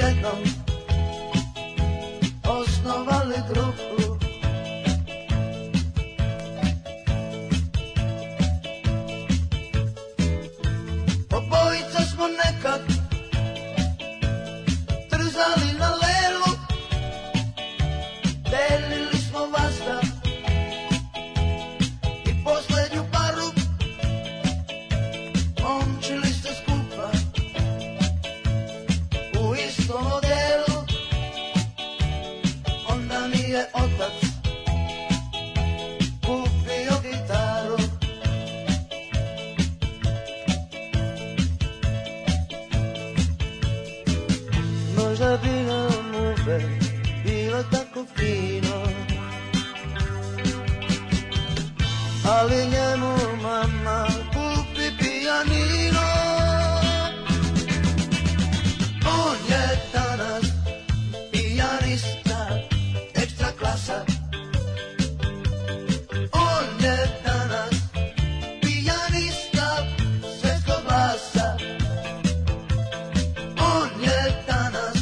jednom osnovali grupu. Obojica smo nekad trzali na lelu, delili smo vazda i posljednju paru, momčili se skupa u istom odelu. Onda mi je otac kupio gitaru. Možda bi nam uvek bilo tako fino, ali njemu mama kupi pijanino. On je danas pijanista, ekstra klasa. On je danas pijanista, svetskog glasa. On je danas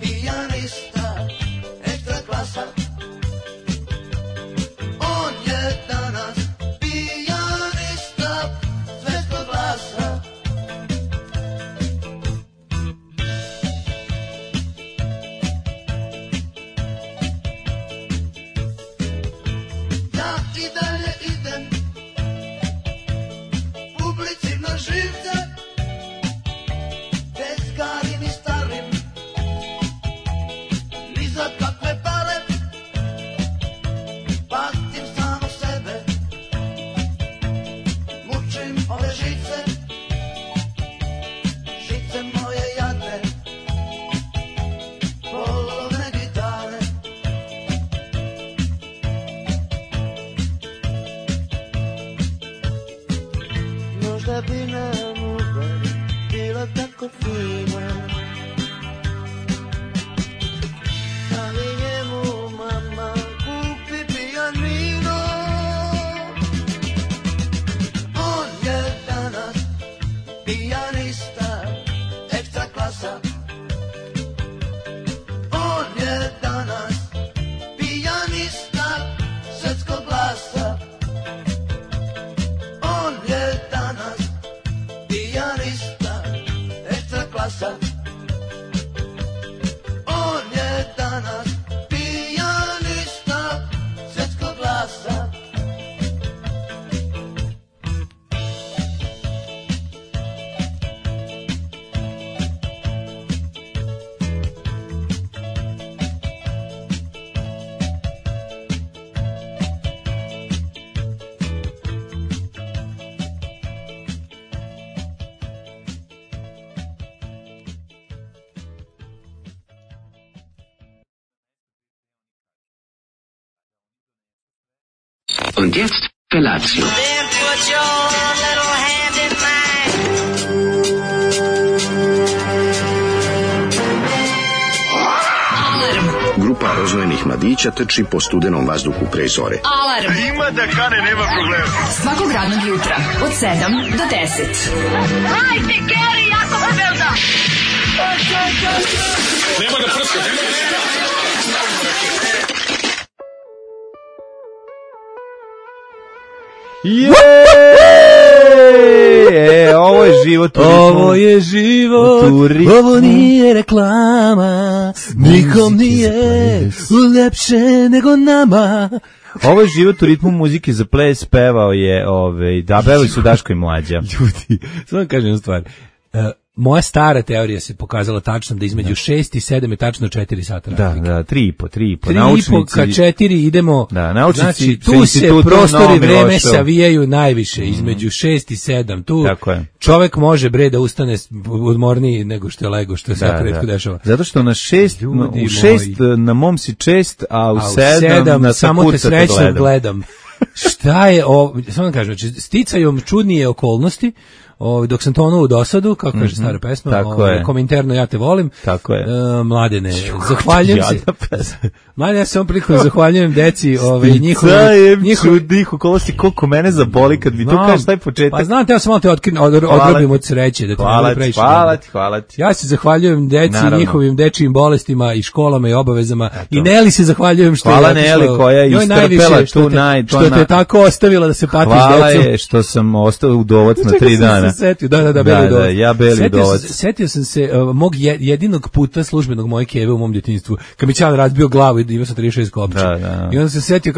pijanista, ekstra klasa. On je danas pijanista, svetskog glasa. Ja i dalje idem publici na živce, tezgarim i starim, ni za kakve pare, patim samo sebe, mučim ove žice, žice moje jadne, polovne gitare. Možda bi nam uvek bilo tako fino, ali njemu mama kupi pijanino. On je danas pijanista, ekstra klasa. On je danas pijanista, svetskog glasa. On je danas pijanista, ekstra klasa. On je danas pijanista, svetskog glasa. Und jetzt Felatio. Then put your little hand in mine. Grupa rozvojenih mladića trči po studenom vazduhu pre zore. Alarm. Ima da kane, nema problema. Svakog radnog jutra od 7 do 10. Hajde, Geri, jako se velda. Nema da prska, nema da ovo je život. Ovo je život. Ovo nije reklama. Nikom nije lepše nego nama. Ovo je život u ritmu muzike za ples, pevao je, dabeli su Daško i Mlađa. Ljudi, samo kažem jednu stvar. Moja stara teorija se pokazala tačno da između 6 i 7 je tačno 4 sata razlike. Da, 3,5. 3,5 ka 4 idemo, da, naučnici, znači tu se prostor i vreme savijaju najviše, između 6 i 7, tu čovek može da ustane odmorniji nego što je lego, što je sad retko dešava. Zato što na 6, u 6 na mom si čest, a u 7 na samo te srećno gledam. Šta je ovo, samo da kažem, znači, sticajom čudnije okolnosti, dok sam tonuo u dosadu, kako kaže stara pesma, Kominterno ja te volim. Tako je. Mladene, zahvaljujem se. Mladene, ja se ovom prilikom zahvaljujem deci, njihovi dihu kolosti, koliko mene zaboli kad mi to kažeš taj početak. Pa znam, ja sam malo te odgrobim od sreće. Da Hvala ti. Ja se zahvaljujem deci, njihovim dečijim bolestima i školama i obavezama. I Neli se zahvaljujem što hvala Neli koja je istrpela tu što te tako ostavila da se patiš decom. Hvala je što sam ostao udovac na 3 dana. Beli udovac. Ja beli udovac. Setio sam se mog jedinog puta službenog moje keve u mom djetinjstvu. Kad mi čale razbio glavu i imao sam 36 kopča. I onda se setio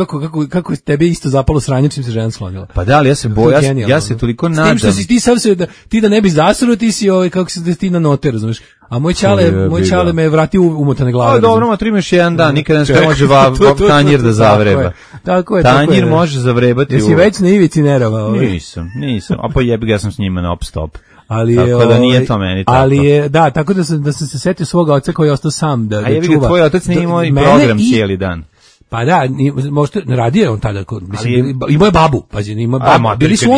kako tebe isto zapalo sranje čim se žena sklonila. Pa da, ali ja se bojim, ja se toliko nadam. S tim što si ti sam se ti da ne bi zasrao, ti si kako se ti na note, razumeš? A moj čale me vratio umotane glave. Dobro, ma trimaš jedan dan, nikada ne može tanjir da zavreba. Tako je. Tanjir može zavrebati. Jesi već na ivici nerava? Nisam. A pa jebi ga, ja sam s njima non stop. Ali tako da nije to meni tako. Ali je, da, tako da sam se setio svoga oca koji je ostao sam da čuva. A jebi ga, tvoj otac nije imao i program cijeli dan. Pa da, možda radio on tada, mislim, imao je babu, pazi, ima baba. Bili su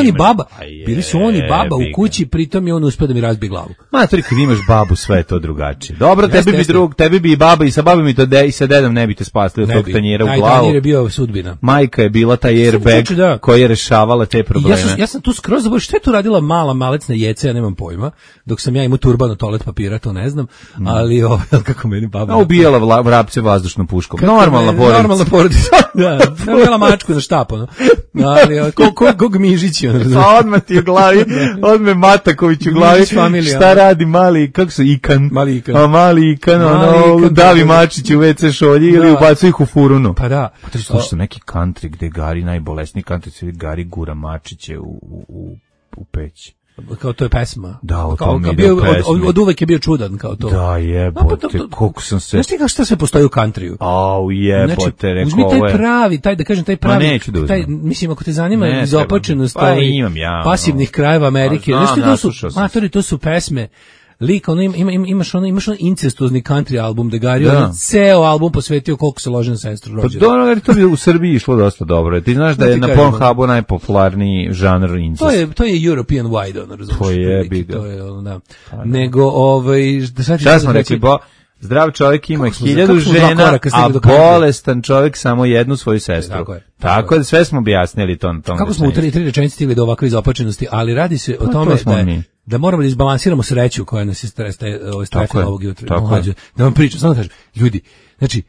oni baba u kući, pritom je on uspio da mi razbije glavu. Matori, kad imaš babu, sve je to drugačije. Dobro, tebi bi i baba i sa babom i sa dedom ne bi te spasli od tog tanjira u glavu. Taj tanjir je bio sudbina. Majka je bila taj airbag koja je rešavala te probleme. Ja sam tu skroz zaboravio što je tu radila mala malecna jeca, ja nemam pojma, dok sam ja imao turban od toalet papira, to ne znam, ali kako meni baba... Ubijala vrapce vazdušnom puškom. Normalna porodica. Da, bila mačku na štap, ono. Ali kog Mižići, ono, razumiješ. A odmah ti u glavi, odmah Mataković u glavi, šta radi mali, kako su, Ikan. Mali Ikan, davi mačići u WC šolji ili ubacu ih u furunu. Pa da. Pa to je slušao neki country gde Gari, najbolesniji country, Gari gura mačiće u peć. Kao to je pesma. Da, o tom ide pesmi. Od uvek je bio čudan kao to. Da, jebote, koliko sam se... Znaš ti kao šta sve postoji u countryu? Au, jebote, rekao uzmi taj pravi, taj Ma neću da uzmem. Mislim, ako te zanima izopačenost pasivnih krajeva Amerike, znaš ti to su pesme, lik, imaš incestuozni country album da Gari, on ceo album posvetio koliko se loži na sestru rođena. Pa dobro, to bi u Srbiji išlo dosta dobro. Ti znaš da je na Pornhubu najpopularniji žanr incest. To je European wide, ono, razumiješ. To je, biga. To je, da. Nego, šta smo rekli, zdrav čovjek ima 1000 žena, a bolestan čovjek samo jednu svoju sestru. Tako da sve smo objasnili to na tom. Kako smo u 3 rečenice stigli do ovakve izopačenosti, ali radi se o tome da moramo da izbalansiramo sreću koja nas je strefila ovog jutra. Da vam pričam, samo da kažem, ljudi, znači,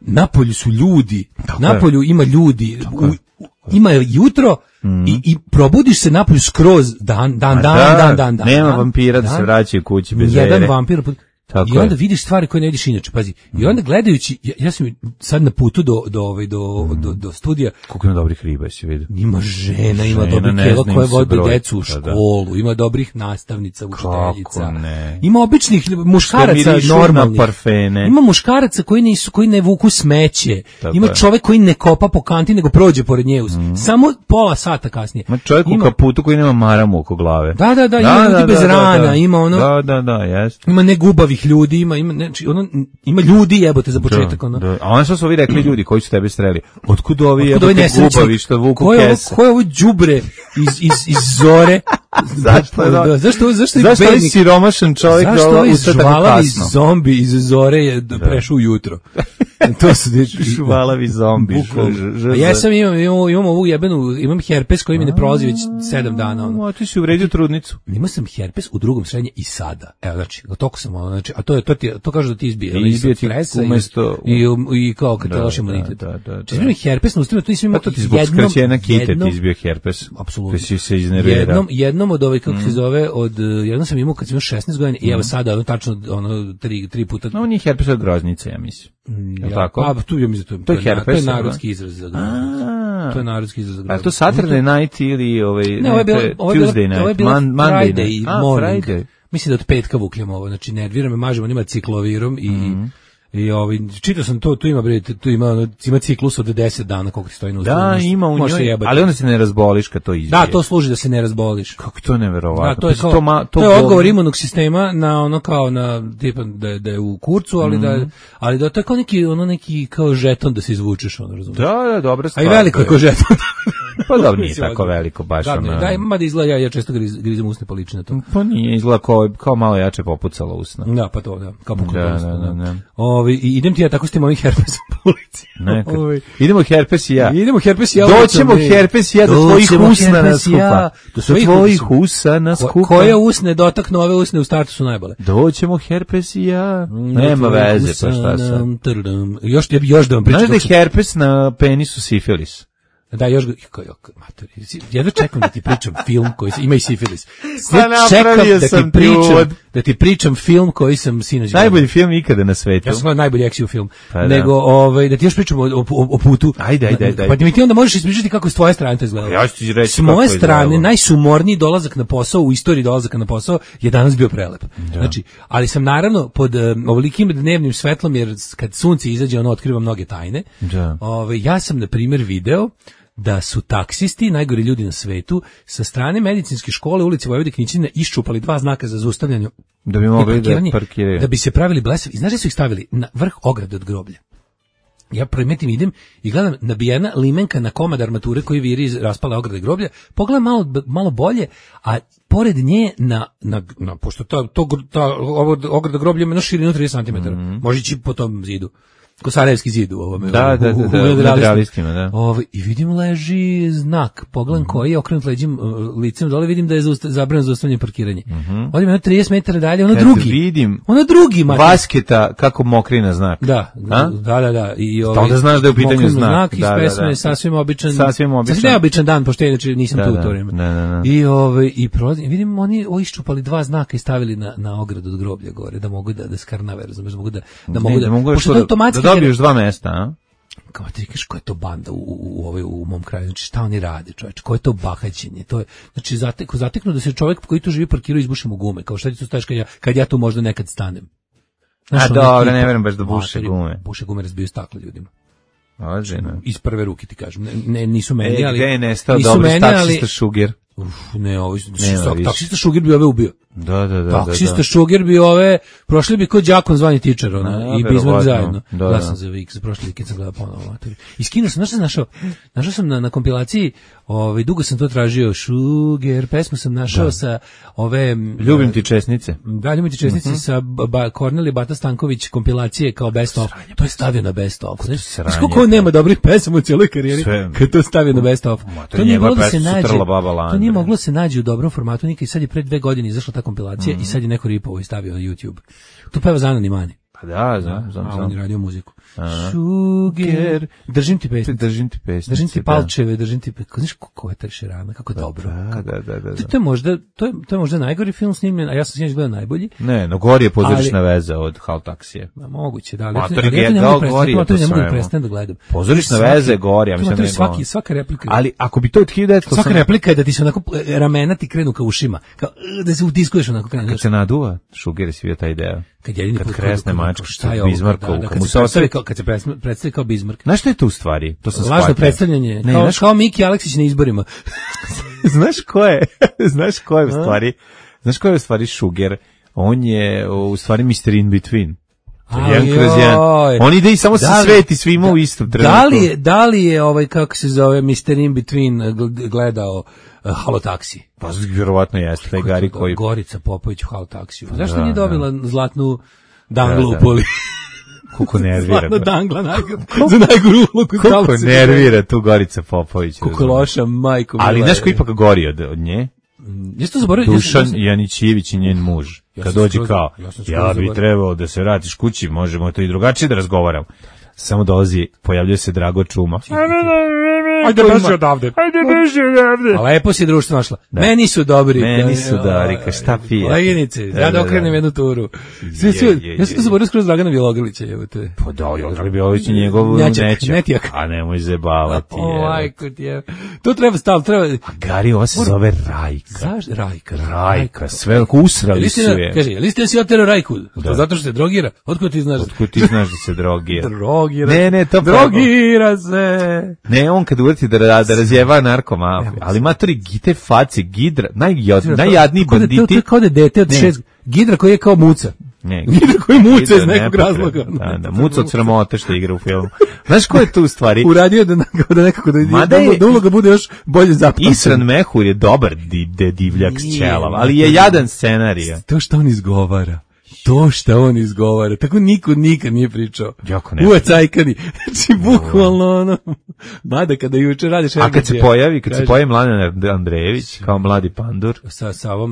napolju su ljudi, napolju ima ljudi, ima jutro i probudiš se napolju skroz dan. Nema vampira da se vraćaju kući bez vere. Jedan vampir... I onda vidiš stvari koje ne vidiš inače, pazi. I onda gledajući, ja sam sad na putu do studija. Koliko ima dobrih riba, si vidio? Ima žena, ima dobrih kjela koje vode decu u školu, ima dobrih nastavnica, učiteljica. Ima običnih muškaraca normalnih. Ima muškaraca koji ne vuku smeće. Ima čovjek koji ne kopa po kanti, nego prođe pored nje. Samo pola sata kasnije. Ima čovjek u kaputu koji nema maramu oko glave. Da, ima ljudi bez rana, ima ono. Da, jeste. Ima negubavih ljudi, ima ljudi, jebote, za početak. A ono što su ovi rekli ljudi koji su tebe streli, otkud ovi jebote gubavi što vuku kese? Ko je ovo đubre iz Zore? Zašto je siromašan čovjek ustao tako kasno? Zombi iz Zore je prešao ujutro. To su šuvalavi zombi. Ja sam imam ovu jebenu, imam herpes koji mi ne prolazi već 7 dana. A ti si uvredio trudnicu. Imao sam herpes u drugom srednje i sada. Evo, znači, toliko sam, znači, a to kaže da ti izbije. Izbije ti umesto... I kao kad te loš imunitet. Če imam herpes na ustima, to nisam imao jednom... To ti zbog skraćena kite ti izbio herpes. Apsolutno. Ti si se iznervirao. Jednom od kako se zove, jednom sam imao kad sam imao 16 godina i evo sada, tačno, 3 puta... No, nije herpes od groznice, ja mislim. Tako? To je herpes. To je narodski izraz za groznicu. To je narodski izraz za groznicu. A to Saturday night ili Tuesday night? Ovo je bilo Friday morning. Friday. Mislim da od petka vukljamo ovo, znači nervira me, mažemo, nema ciklovirom i čitao sam to, tu ima ciklus od 10 dana koliko ti stoji na usta. Da, ima u njoj, ali onda se ne razboliš kad to izbije. Da, to služi da se ne razboliš. Kako to neverovatno. Da, to je odgovor imunog sistema na ono kao na tipa da je u kurcu, ali da je tako neki kao žeton da se izvučeš, ono, razumiješ. Da, dobra stvar. A i veliko je kao žeton. Pa dobro, nije tako veliko baš. Da, ima da izgleda, ja često grizem usne pa liči na to. Pa nije, izgleda kao malo jače popucalo usna. Da, pa to, da, kao popucalo usna. Da. I idem ti ja tako s tim ovim herpesom po ulici. Idemo herpes i ja. Doćemo herpes i ja do tvojih usna na skupa. Do tvojih usna na skupa. Koje usne dotaknu, ove usne u startu su najbolje. Doćemo herpes i ja. Nema veze, pa šta sam. Još da vam pričam. Znaš da je herpes na penisu sifilis? Da, još jedva čekam da ti pričam film koji ima i sifilis. Čekam da ti pričam film koji sam sinoć gledao. Najbolji film ikada na svetu. Ja sam gledao najbolji action film. Pa nego da ti još pričam o putu. Ajde. Pa mi ti onda možeš ispričati kako s tvoje strane to izgledalo. Ja ću ti reći. S moje strane najsumorniji dolazak na posao u istoriji dolazaka na posao je danas bio prelep. Znači, ali sam naravno pod ovolikim dnevnim svetlom, jer kad sunce izađe ono otkriva mnoge tajne. Ja sam na primjer video da su taksisti, najgori ljudi na svetu, sa strane medicinske škole ulici Vojvode Knićine iščupali 2 znaka za zaustavljanje da bi mogli da parkiraju. Da bi se pravili blesavi. I znaš da su ih stavili na vrh ograde od groblja. Ja primetim, idem i gledam nabijena limenka na komad armature koji viri iz raspale ograde groblja. Pogledam malo bolje, a pored nje pošto ta ograda groblja ima širinu 30 cm. Može ići po tom zidu. Kosarevski zid u ovome. Da, realistima, da. I vidim leži znak, pogledam koji je okrenut licem dole, vidim da je zabranjeno zaustavljanje parkiranje. Odim 30 metara dalje, ono drugi. Vasketa kako mokri na znak. Da. I onda znaš da je u pitanju znak. Iz pesme, sasvim običan neobičan dan, pošto inače nisam tu u to vrijeme. I prolazim, vidim oni iščupali 2 znaka i stavili na ogradu od groblja gore, da mogu da skarnave, razumeš, da mogu pošto automatski dobiješ 2 mesta, a? Kao ti kažeš, koja je to banda u mom kraju, znači šta oni rade, čoveče, koje je to bahaćenje, to je, znači zateknu da se čovjek koji tu živi parkirao izbuše mu gume, kao šta ti tu staješ kad ja tu možda nekad stanem. Znaš, dobro, ne verujem baš da buše gume. Buše gume, razbiju stakle ljudima. Ođeno. Iz prve ruke ti kažem, nisu meni, ali... Gde je nestao dobro taksista Šuger? Taksista Šuger bi ove ubio. Da. Taksista Šuger bi prošli bi kod đakon zvani tičar, i Bizmark zajedno. Da sam za prošli vikend sam gledao ponovo. I skinuo sam, našao sam na kompilaciji, dugo sam to tražio, Šuger, pesmu sam našao sa ove... Ljubim ti česnice. Da, Ljubim ti česnice sa Kornelije Bata Stanković kompilacije kao best of. To je stavio na best of. Znaš koliko nema dobrih pesama u cijeloj karijeri kad to stavio na best of. To nije moglo da se nađe. To nije moglo se nađe u dobrom formatu, nikad. Sad je pre 2 godine izašla ta kompilacija i sad je neko ripovo i stavio na YouTube. Tu peva Zana Nimani. Pa da, znam. On je radio muziku. Šuger, držim ti pesme. Držim ti palčeve, držim ti... Znaš kako je taj Šerana, kako je dobro. Da. To je možda najgori film snimljen, a ja sam sinoć gledao najbolji. Ne, no gori je Pozorišna veza od Hal taksije. Moguće, da. Matori Gedal gori je to sve. Ne mogu prestati da gledam. Pozorišna veza je gori, ja mislim da je gori. Svaka replika. Ali ako bi to od 1900... Svaka replika je da ti se onako ramena ti krenu ka ušima. Da se utiskuješ onako krenu. Kad se naduva, Šuger je svio taj ideja. Kad kresne mačku, Bizmarkovu, kad se predstavi kao Bizmark. Znaš što je to u stvari? To sam lažno predstavljanje. Kao Miki Aleksić na izborima. Znaš ko je u stvari? Znaš ko je u stvari Šuger? On je u stvari Mr. In Between. On ide i samo se sveti svima u istom trenutku. Da li je kako se zove Mr. In Between gledao Halo taksi? Pa vjerovatno jeste, taj Gari koji... Gorica Popović u Halo taksiju. Zašto nije dobila zlatnu danglu u poli? Koliko nervira. Zlatna dangla za najgoru ulogu. Koliko nervira tu Gorica Popović. Koliko loša, majko. Ali znaš ko ipak gori od nje? Jesi to zaboravio? Dušan Janićević i njen muž. Kad dođe kao, ja bi trebao da se vratiš kući, možemo to i drugačije da razgovaramo. Samo dolazi, pojavljuje se Drago Čuma. Ajde beži odavde. A lepo si društvo našla. Meni su dobri. Ka šta pije. Koleginice, ja da okrenem jednu turu. Ja sam to zaboravio skroz Dragana Bjelogrlića. Pa da, Dragan Bjelogrlić je njegov nećak. A nemoj zebavati. Majko ti je. To treba staviti. A Gari, ovo se zove Rajka. Rajka, sve usrali su je. Kaže, jel ste si otero Rajku? Zato što se drogira. Otkud ti znaš? Otkud ti znaš da se drogira? Drogira se. Ne, on kad uveti da razjeva narkomafiju, ali matori gite face, Gidra, najjadniji banditi. To je kao da dete od 6, Gidra koji je kao muca. Lider koji muca iz nekog razloga. Da, muca od sramote što igra u filmu. Znaš ko je tu u stvari? Uradio da nekako da uloga bude još bolje zapamćena. Isran Mehur je dobar divljak s ćelava, ali je jadan scenarij. To što on izgovara. Tako niko nikad nije pričao. Jako ne. Uva cajkani. Znači, bukvalno ono. Mada kada juče radiš... A kad se pojavi Mladen Andrejević kao mladi pandur.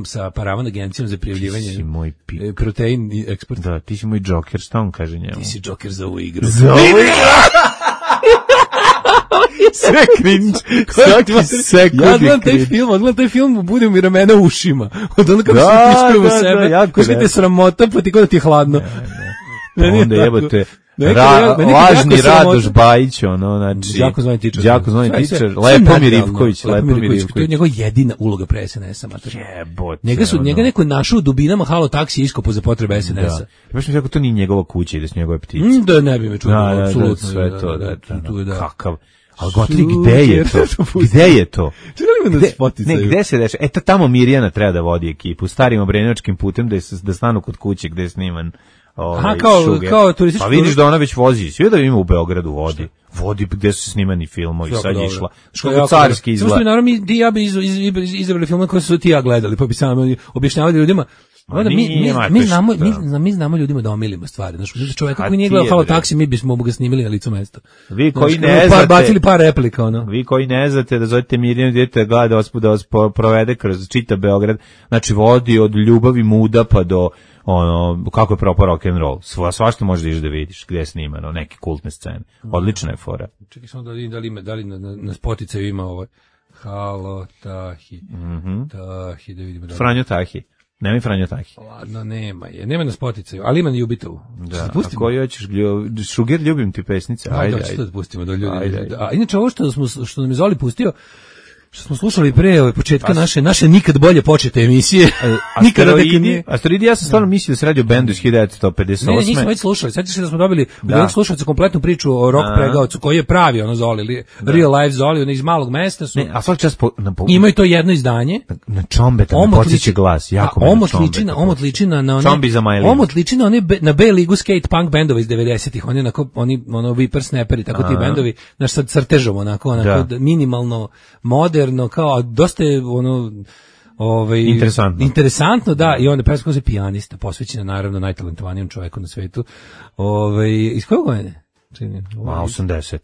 Sa Paravan agencijom za prijavljivanje. Ti si moj pik. Protein i eksport. Da, ti si moj Joker, šta on kaže njemu? Ti si Joker za ovu igru. Sve cringe. Ja gledam taj film, bude mi ramena u ušima. Od ono kako se tiskaju u sebe. Kako ti je sramota, pa ti kod da ti je hladno. Onda jebote. Lažni Radoš Bajić, znači... Đako zvani tičar. Lepomir Ivković. To je njegova jedina uloga pre SNS-a, mater. Jebote. Njega neko našao u dubinama halo taksi iskopo za potrebe SNS-a. Baš mi to nije njegova kuća i da su njegove ptice. Da, ne bi me čuo, apsolutno. Sve to, da. Kakav... Ali gotri, gde je to? Gde se deša? Tamo Mirjana treba da vodi ekipu, starim obrenovačkim putem da stanu kod kuće gde je sniman kao turistički. Pa vidiš da ona već vozi, sve da ima u Beogradu vodi gde su snimani filmovi, sad je išla. Što carski izgleda. Samo što naravno ja bi izabrali filmove koje su ti ja gledali, pa bi samo objašnjavali ljudima. Mi znamo ljudima da omilimo stvari. Znači, čovjeka koji nije gledao Halo taksi, mi bismo ga snimili na licu mesta. Vi koji ne znate, bacili par replika, ono. Vi koji ne znate da zovete Mirjanu djete da vas provede kroz čita Beograd, znači vodi od Ljubavi muda pa do kako je propao rock and roll. Svašta možeš da ideš da vidiš gdje je snimano, neke kultne scene. Odlična je fora. Čekaj samo da li na Spotify ima ovo Halo Tahi. Tahi, da vidimo. Franjo Tahi. Nema i Franjo Tahi. Ladno, nema na Spotify, ali ima na Jubitovu. Da, a koju hoćeš, Šuger, ljubim ti pesnice. Ajde. Što da pustimo do ljudi. A inače ovo što nam je Zoli pustio, što smo slušali pre početka naše nikad bolje počete emisije. Asteroidi, ja sam stvarno mislio da se radi o bendu iz 1958. Ne, nismo već slušali. Sjetiš se da smo dobili od slušalca kompletnu priču o rock pregaocu koji je pravi Zoli, real life Zoli, iz malog mesta su. Ne, a svaki čas imaju to jedno izdanje. Na Čombeta me podsjeća glas, jako me na Čombeta. Omot liči na Čombi za Majlinu. Omot liči na one na B ligu skate punk bendova iz 90-ih. Oni whippersnapperi, tako ti bendovi, naš sad crtežom onako minimalno moderno, kao dosta je interesantno, da, i onda pesma je pijanista, posvećena naravno najtalentovanijem čovjeku na svetu. Iz kojeg godine? 80.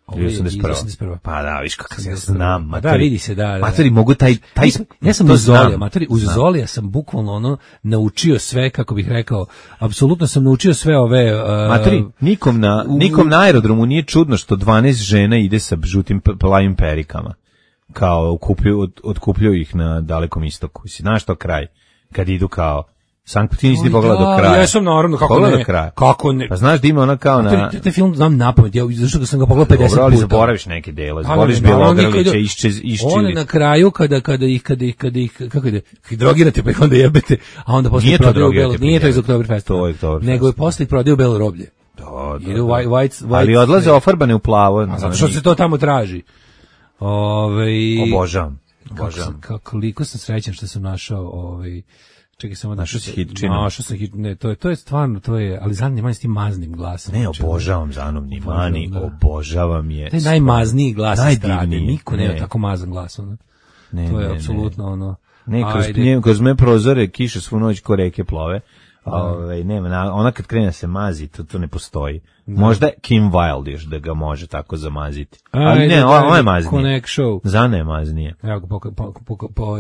81. Pa da, viš kako se znam. Da, vidi se, da. Materi, mogu taj ja sam uz Zolija, uz Zolija sam bukvalno naučio sve, kako bih rekao, apsolutno sam naučio sve ove... Materi, nikom na aerodromu nije čudno što 12 žena ide sa žutim plavim perikama. Kao otkupljuju ih na Dalekom istoku. Znaš to kraj? Kad idu kao Sankt ti nisi pogledao do kraja. Ja sam naravno, kako ne. Pa znaš da ima ona kao na... Te film znam napamet, zašto ga sam ga pogledao 50 puta. Dobro, ali zaboraviš neke dele, zaboraviš Bjelogrlića, iščili. On na kraju, kada ih, kako ide, drogirate pa ih onda jebete, a onda posle prodaju Belo, nije to iz Oktoberfesta, nego je posle prodaju Belo roblje. Ali odlaze ofarbane u plavo. Zato što se to tamo traži. Obožavam. Koliko sam srećan što sam našao čekaj samo našao si hitčinu. Našao sam hitčinu. Ne, to je stvarno, ali Zanovni Mani s tim maznim glasom. Ne, obožavam Zanovni Mani, obožavam je. To je najmazniji glas strade. Niko nema tako mazan glas. To je apsolutno kroz me prozore kiše svu noć ko reke plove. Nema, ona kad krene se mazi, to ne postoji. Možda Kim Wilde još da ga može tako zamaziti. Ali ne, ovo je maznije. Connect Show. Zana je maznije.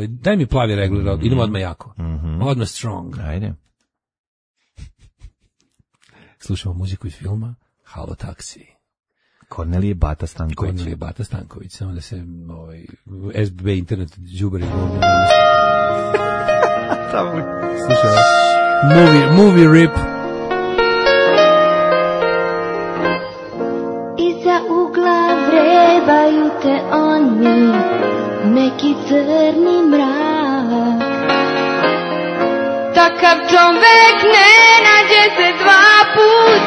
Daj mi plavi regler, idemo odmah jako. Odmah strong. Ajde. Slušamo muziku iz filma Halo taksi. Kornelije Bata Stanković. Samo da se SBB internet đubari. Slušamo. Movie rip. Iza ugla vrebaju te oni, neki crni mrak. Takav čovek ne nađe se dva put,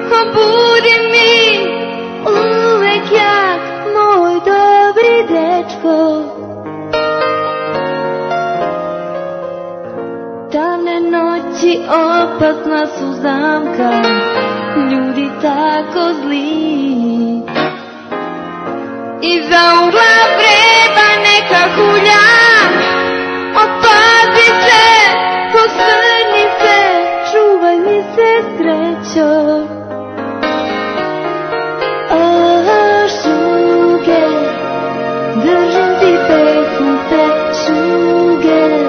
pobudi mi uvek jak, moj dobri dečko. Davne noći opasna su zamka, ljudi tako zli. Iza ugla vreba neka hulja, opazi se, posvrni se, čuvaj mi se srećo. Šuger, držim ti pesnice, šuger,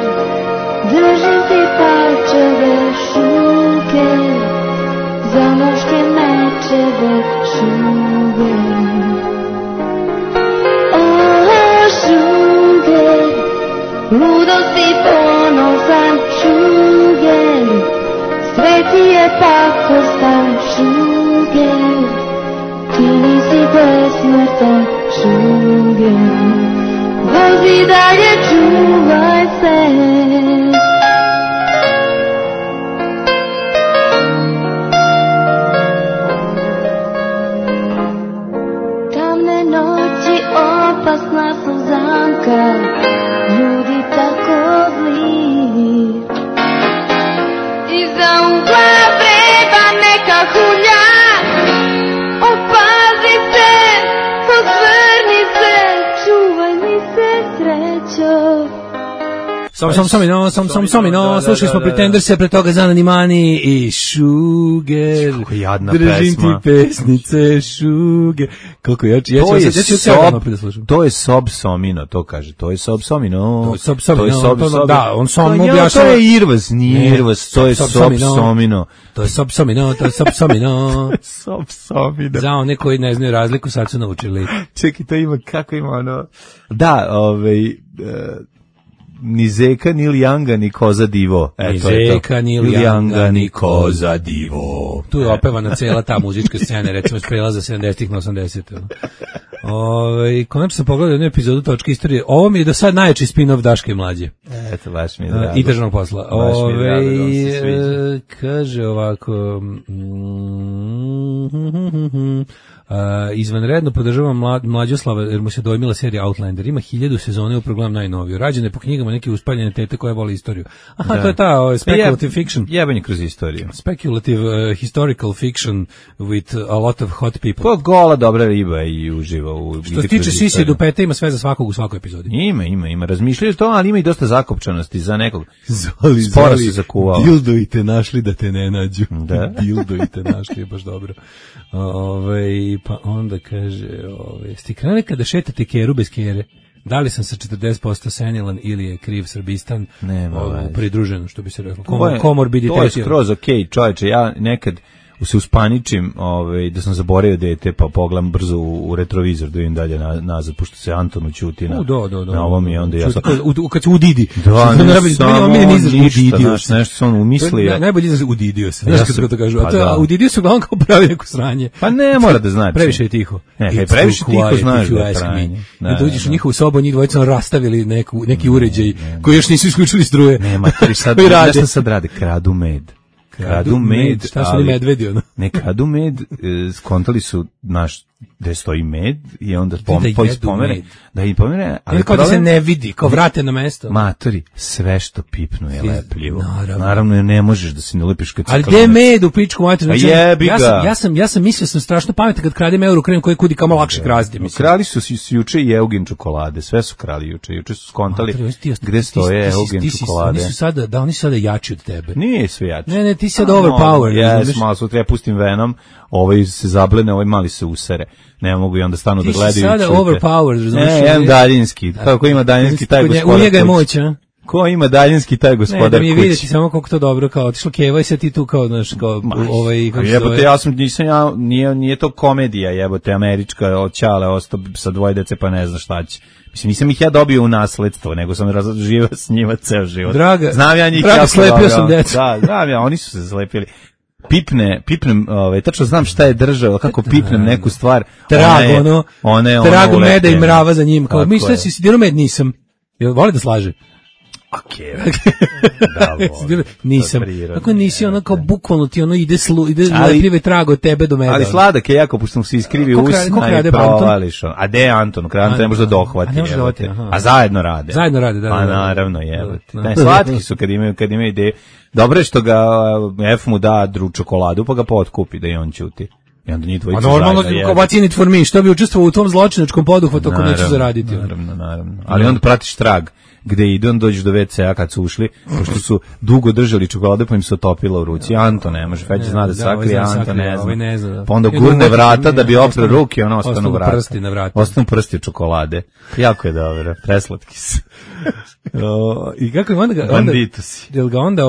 držim ti palčeve, šuger, za muške mečeve, šuger. Šuger, ludost i ponosan, šuger, sve ti je pakostan, šuger, ti nisi besmrtan, šuger, vozi dalje, čuvaj se. Tamne noći, opasna su zamka, ljudi tako zli. Iza ugla vreba neka hulja, opazi se, posvrni se, čuvaj mi se srećo. Samino, slušali smo Pretenderse, pre toga Zanani Mani i Šuger. Kako jadna držim pesma. ti pesnice, Šuger. Koliko ja ću to je Sob Somino, to kaže. To je Sob Somino. To je Sob Somino. Da, on sam objašnjava. To je Irvas, nije Irvas, to je Sob Somino. To je Sob Somino, to je Sob Somino. Sob Somino. Za one koji ne znaju razliku, sad su naučili. Čekaj, to ima, kako ima ono... Da, ni zeka, ni lijanga, ni koza divo. Ni zeka, ni lijanga, ni koza divo. Tu je opevana cela ta muzička scena, recimo s prelaza 70-ih na 80-ih. Konačno sam pogledao jednu epizodu Točke istorije. Ovo mi je do sad najjači spin-off Daške i Mlađe. Eto, baš mi je drago. I državnog posla. Baš mi je drago, da vam se sviđa. Kaže ovako... izvanredno podržavam Mlađoslava jer mu se dojmila serija Outlander. Ima 1000 sezone u programu najnoviju. Rađene je po knjigama neke uspaljene tete koja voli istoriju. Aha, da. To je ta speculative fiction. Jebanje kroz istoriju. Speculative historical fiction with a lot of hot people. To gola dobra riba i uživa u... Što se tiče sisi dupeta ima sve za svakog u svakoj epizodi. Ima. Razmišljaju to, ali ima i dosta zakopčanosti za nekog. Sporo se zakuvao. Dildo i te našli da te ne nađu. Da. Dildo i te našli je baš dobro. Pa onda kaže, ste krenuli kada šetate keru bez kere? Da li sam sa 40% senilan ili je kriv Srbistan? Pridruženo, što bi se reklo. Komorbiditeti. To je skroz okej, čovječe, ja nekad se uspaničim da sam zaboravio dete, pa pogledam brzo u retrovizor da vidim dalje nazad, pošto se Anton ućuti na ovom i onda ja sam... Kad se udidi. Da, ne samo ništa, nešto se on umislio. Najbolje izraz udidio se, znaš kako to kažu. A udidio se uglavnom kao pravi neko sranje. Pa ne mora da znači. Previše je tiho. Previše tiho znaš da je sranje. Da uđeš u njihovu sobu, njih dvojica rastavili neki uređaj koji još nisu isključili struje. Nema, nešto sad rade, kradu med. Kradu med, šta su li medvedi ono? Ne kradu med, skontali su gde stoji med i onda pomere. Da i pomere, ali kao da se ne vidi, kao vrate na mesto. Matori, sve što pipnu je lepljivo. Naravno, jer ne možeš da se ne lepiš kad se... Ali gde med u pičku mater? Jebi ga. Ja sam mislio sam strašno pametan kad kradem Eurokrem koji kudi kamo lakše krasti. Krali su juče i Eugen čokolade, sve su krali juče. Juče su skontali gde stoje Eugen čokolade. Oni su sada jači od tebe. Nije sve jači. Ne, ti si sad overpowered. Jes, malo sutra ja pustim Venom, ovaj se zablene, ovaj mali se usere. Ne mogu i onda stanu da gledaju. Ti si sada overpowered, razumiješ? Jedan daljinski. Kako ima daljinski taj gospodar kući? U njega je moć, a? Ko ima daljinski taj gospodar kući? Ne, da mi je vidjeti samo kako to dobro, kao otišlo Keva i sad ti tu kao, znaš, kao kako se jebote, nije to komedija, jebote, američka, od Ćale ostao sa 2 dece pa ne zna šta će. Mislim, nisam ih ja dobio u nasledstvo, nego sam živio s njima ceo život. Znam ja njih jako slepio sam decu. Da, znam ja, oni su se slepili. Pipnem, tačno znam šta je držao, kako pipnem neku stvar. Trago meda i mrava za njim. Kao, misle si dirao med, nisam. Voli da slaže? Nisam. Kako nisi ono kao bukvalno ti ono ide lepljive trago od tebe do mene. Ali sladak je jako, pošto mu se iskrivi usna i provališ. A gde je Anton? Anton ne može da dohvati. A zajedno rade. Zajedno rade, da. Pa naravno, jebate. Slatki su kad imaju ideje. Dobro je što ga F mu da čokoladu, pa ga potkupi da i on ćuti. I onda njih dvojica zajedno. Normalno, what's in it for me, što bi učestvovao u tom zločinačkom poduhvatu ako neću zaraditi. Naravno. Ali onda pratiš trag gde ide, on dođeš do WC-a kad su ušli, pošto su dugo držali čokolade, pa im se otopila u ruci. Anto ne može, Feđa zna da sakrije, Anto ne zna. Pa onda gurne vrata da bi opre ruke, ono ostanu vrata. Ostanu prsti od čokolade. Jako je dobro, preslatki su. I kako je onda banditusi. Jel ga onda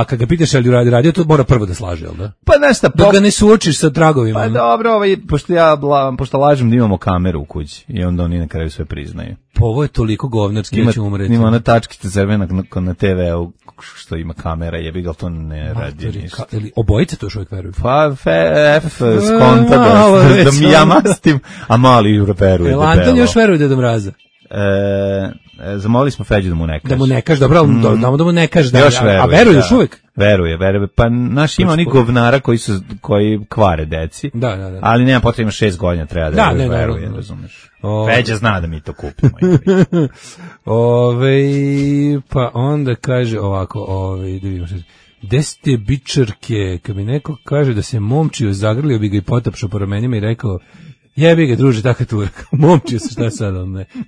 kad ga pitaš je li radio, to mora prvo da slaže, jel da? Pa nešto, dok ga ne suočiš sa tragovima. Pa dobro, pošto lažem da imamo kameru u kući i onda oni na kraju sve priznaju. Pa ovo je toliko govnarski da ću umreti. Ima ona tačkica crvena na TV-u što ima kamera, jebi ga, to ne radi ništa. Obojice to još uvijek veruju? Pa F skonta da mi ja mastim, a mali veruje. Anton još veruje Deda Mraza. Zamolili smo Feđu da mu ne kaže. Da mu ne kaže, dobro, da mu ne kaže. A veruje još uvijek? Veruje. Pa naš ima onih govnara koji kvare deci. Da. Ali nema potrebe, ima 6 godina, treba da veruje, razumeš. Feđa zna da mi to kupimo. Pa onda kaže ovako, da vidimo što. Gde ste bičarke? Kad mi neko kaže da se momčio, zagrlio bi ga i potapšao po ramenima i rekao, jebi ga, druže, tako tu. Momčio se, šta sad?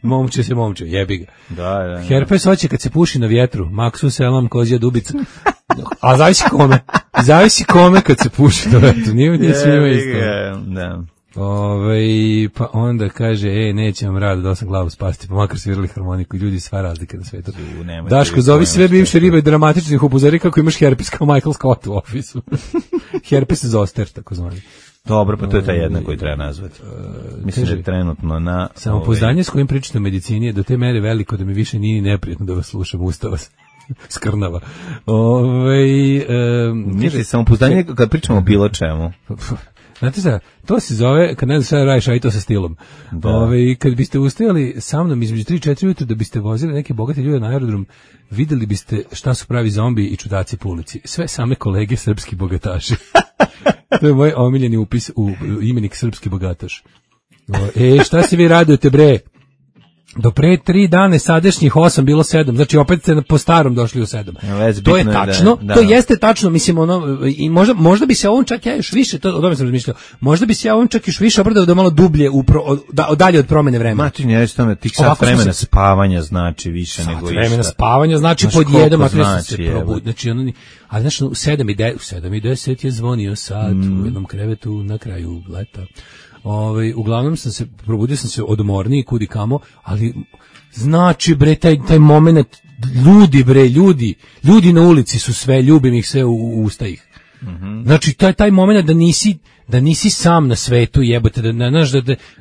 Momčio, jebi ga. Da. Herpes hoće kad se puši na vjetru. Maksu, selam, kozija, dubica. A zavisi kome kad se puši na vjetru. Nije svima isto. Da. Pa onda kaže, neće vam rado da sam glavu spasti, pa makar svirali harmoniku, ljudi sva razlike na svetu. Daško, zovi sve bivše ribe i dramatičnih upozori kako imaš herpes kao Michael Scott u ofisu. Herpes zoster, tako zvani. Dobro, pa to je ta jedna koju treba nazvati. Mislim da je trenutno na... Samopouzdanje s kojim pričate o medicini je do te mere veliko da mi više nije neprijatno da vas slušam, ustava skrnava. Mislim, samopouzdanje kad pričamo o bilo čemu. Znate šta, to se zove, kad ne znaš šta da radiš, a i to sa stilom. Kad biste ustajali sa mnom između 3-4 ujutru da biste vozili neke bogate ljude na aerodrom, videli biste šta su pravi zombi i čudaci po ulici. Sve same kolege srpski bogataši. To je moj omiljeni upis u imenik srpski bogataš. Šta se vi radujete, bre? Do pre 3 dane sadašnjih 8 bilo 7, znači opet ste po starom došli u 7. To je tačno, to jeste tačno, mislim, i možda bi se ovom čak ja još više, o tome sam razmišljao, možda bi se ja ovom čak još više obradao da malo dublje, dalje od promene vremena. Mači, ne reći tome, tih sat vremena spavanja znači više nego išta. Sat vremena spavanja znači pod jedom, ako se probudi, znači a znači u 7:10 je zvonio sat u jednom krevetu na kraju leta. Uglavnom probudio sam se odmorniji kudi kamo, ali znači bre taj moment, ljudi na ulici su sve, ljubim ih sve u usta ih. Znači taj moment da nisi sam na svetu, jebote,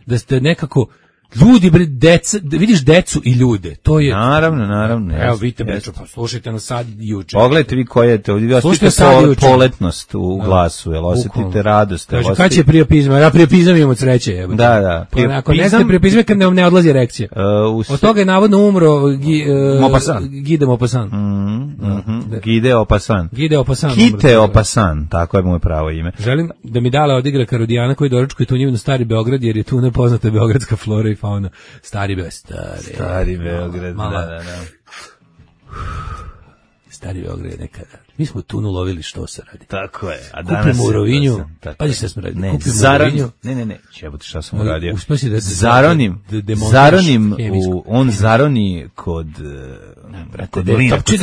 da ste nekako ljudi, bre, deca, vidiš decu i ljude, to je... Naravno. Evo, vidite, bre, pa slušajte nas sad juče. Pogledajte vi koje je to, osjetite poletnost u glasu, jel osjetite radost. Kaže, kad će priopizma? Ja priopizam imam od sreće, jebote. Da. Ako ne ste priopizme, kad ne odlazi erekcija. Od toga je navodno umro Gide Maupassant. Gide Maupassant. Kite Maupassant, tako je moje pravo ime. Želim da mi Dala odigra Karodijana koji doručkuje tunjevinu Stari Beograd, jer je tu nepoznata beogradska flora i fauna. Stari Beograd, da. Stari Beograd je nekada. Mi smo tunu lovili, što se radi. Tako je. A danas kupimo u Rovinju. Pazi šta smo radili. Kupimo u Rovinju. Ne. Čebote šta sam uradio. On zaroni kod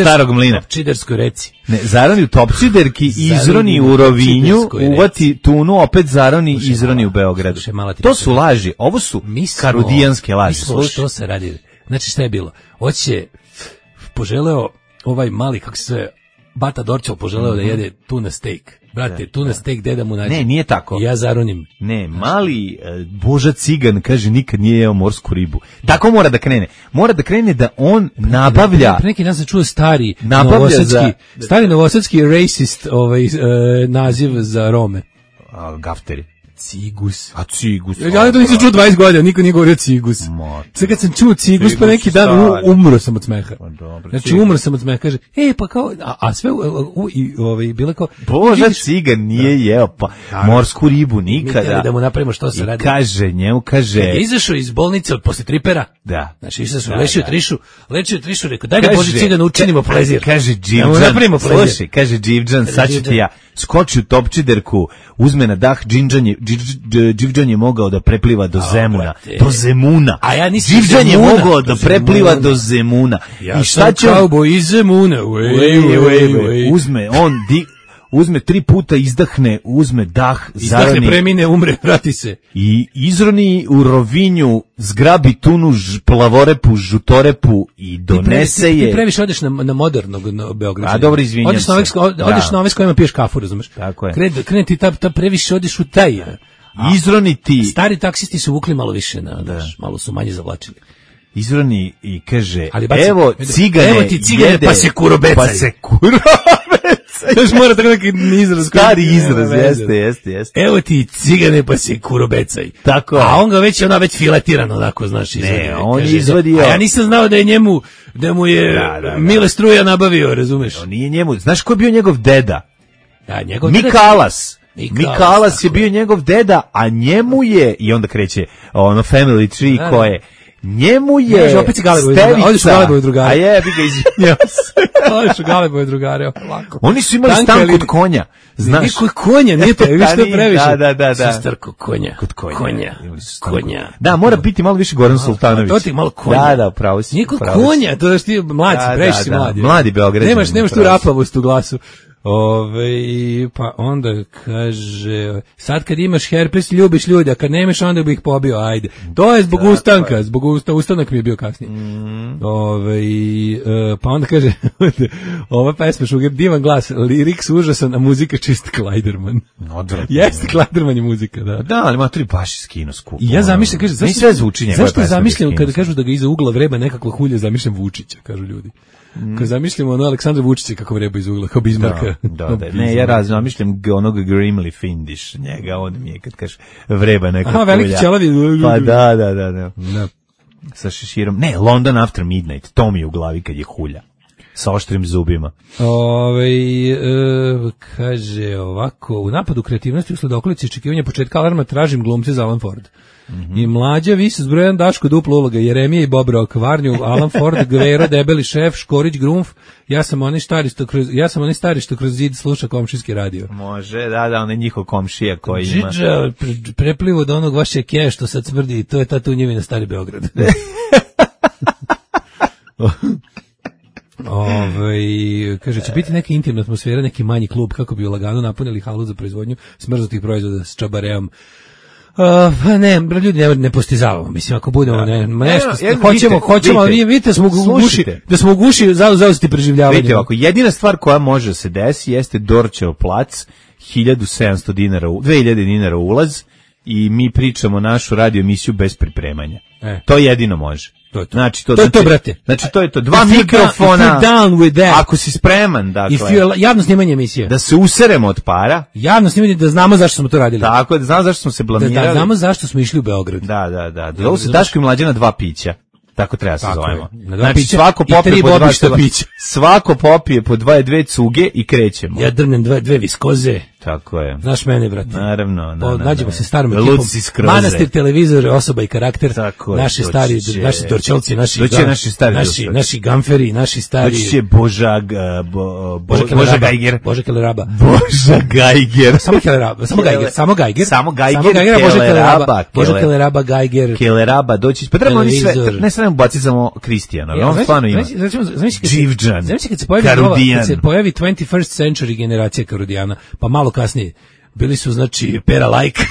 starog mlina. Topčiderskoj reci. Ne, zaroni u Topčiderki, izroni u Rovinju, uvati tunu, opet zaroni, izroni u Beogradu. To su laži. Ovo su karudijanske laži. Mi smo što se radi. Znači šta je bilo? Hoće poželeo ovaj mali, kako se Bata Dorčel poželeo da jede tuna steak. Brate, tuna steak, deda mu nađe. Ne, nije tako. Ja zaronim. Ne, mali Boža Cigan kaže nikad nije jeo morsku ribu. Tako mora da krene. Mora da krene da on nabavlja. Pre neki dan sam čuo stari novosadski racist naziv za Rome. Gafteri. Cigus. A cigus. Ja to nisam čuo 20 godina, niko nije govorio cigus. Sad kad sam čuo cigus pa neki dan umro sam od smeha. Znači umro sam od smeha, kaže, pa kao, a sve bilo kao... Boža cigan nije jeo pa morsku ribu nikada. Da mu napravimo što se radi. Kaže, njemu kaže... Kad je izašao iz bolnice posle tripera, znači izašao, lečio trišu, rekao, daj da Boži cigan učinimo plezir. Kaže Dživđan, slušaj, kaže Dživđan, sad ću ti ja, skoči u topčiderku, uzme na dah, Dživđan je mogao da prepliva do Zemuna. Do Zemuna. A ja nisam Dživđan je mogao da prepliva do Zemuna. Ja sam kauboj iz Zemuna. Uzme 3 puta, izdahne, uzme dah, izdahne, premine, umre, vrati se. I izroni u Rovinju, zgrabi tunu, plavorepu, žutorepu i donese je... Ti previše odeš na modernog Beograda. A dobro, izvinjam se. Odeš na ove s kojima piješ kafu, razumeš? Tako je. Krene ti ta previše odeš u taj... Izroni ti... Stari taksisti su vukli malo više, malo su manje zavlačili. Izroni i kaže, evo cigane, evo ti cigane, pa se kurobecaj. Još mora tako neki izraz. Stari izraz, jeste. Evo ti cigane, pa se kurobecaj. Tako. A on ga već filetirano, onako, znaš, izvadio. Ne, on je izvadio. A ja nisam znao da mu je Mile Struja nabavio, razumeš? On nije njemu. Znaš ko je bio njegov deda? Njegov Mikalas. Mikalas je bio njegov deda, a njemu je, i onda kreće ono family tree koje... Njemu je opet Odiš u Galebove drugare. A jebi ga, izvinjam se. Odiš u Galebove drugare, ovako. Oni su imali stan kod konja. Znaš? Nije konja, nije to, viš što previše. Da. Sestar kod konja. Kod konja. Da, mora biti malo više Goran Sultanović. To ti malo konja. Da, pravo si. Nije kod konja, to da ti mlađi, previše si mladi. Mladi Beograđani. Nemaš tu rapavost u glasu. Pa onda kaže, sad kad imaš herpes ljubiš ljude, a kad nemaš onda bi ih pobio, ajde. To je zbog ustanka, ustanak mi je bio kasnije. Pa onda kaže, ova pesma Šuger, divan glas, liriks užasan, a muzika čist Klajderman. Jeste, Klajderman je muzika, da. Da, ali ima 3 baš skino skupo. I ja zamišljam, kaže, zašto zamišljam kada kažu da ga iza ugla vreba nekakva hulja, zamišljam Vučića, kažu ljudi. Kad zamišljamo Aleksandra Vučića kako vreba iz ugla, kao Bizmarka. Da. Ne, ja zamišljam onog Grimly Findish, njega, on mi je kad kaže vreba neka kulja. Veliki ćelavi. Pa da. Sa šeširom. Ne, London After Midnight, to mi je u glavi kad je hulja. Sa oštrim zubima. Kaže ovako, u napadu kreativnosti usled okolice očekivanja početka alarma tražim glumce za Alan Ford. I mlađa vis s brojan Daško duplo uloga, Jeremija i Bob Rock, Varnju, Alan Ford, Gvero, Debeli šef, Škorić, Grumf, ja sam onaj stari što kroz zid sluša komšijski radio. Može, da, on je njihov komšija koji ima. Džidža, preplivo do onog vaše keja što sad smrdi, to je ta tunjevina Stari Beograd. Kaže, će biti neka intimna atmosfera, neki manji klub kako bi lagano napunili halu za proizvodnju smrznutih proizvoda s čabareom. Ne, ljudi ne postizavamo, mislim, ako budemo nešto, hoćemo, ali vidite da smo u guši zauzeti preživljavanje. Vidite, ovako, jedina stvar koja može se desi jeste Dorčev plac, 1700 dinara, 2000 dinara ulaz i mi pričamo našu radio emisiju bez pripremanja. To jedino može. Znači, to je to, brate. Znači, to je to. 2 mikrofona. Ako si spreman, dakle. Javno snimanje emisije. Da se useremo od para. Javno snimanje, da znamo zašto smo to radili. Tako, da znamo zašto smo se blamirali. Da znamo zašto smo išli u Beograd. Da. Ovo se Daško i Mlađana 2 pića. Tako treba se zovemo. Znači, svako popije po 2 pića. Svako popije po 2 cuge i krećemo. Ja drnem 2 viskoze. Tako je. Znaš mene, brate. Naravno. Nađemo se starom ekipom. Manastir, televizor, osoba i karakter. Naši stari, naši Dorčelci, naši gamferi, naši stari. Doći će Boža Gajger. Boža Keleraba. Boža Gajger. Samo Gajger. Boža Keleraba, Gajger. Keleraba, doći. Pa trebamo oni sve, ne samo baciti samo Kristijana, ali on stvarno ima. Dživđan, Karudijan. Kad se pojavi 21st century generacija Karudijana, pa malo kasnije, bili su, znači, Pera Like.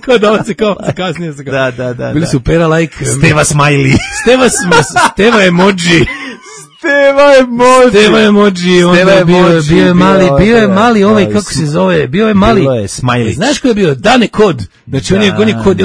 Kao dolaze, kao kasnije su kao. Da. Bili su Pera Like. Steva Smiley. Steva Emoji. Steva Emoji, onda bio je mali ovaj, kako se zove, bio je Smiley. Znaš ko je bio? Dane Kod. Znači on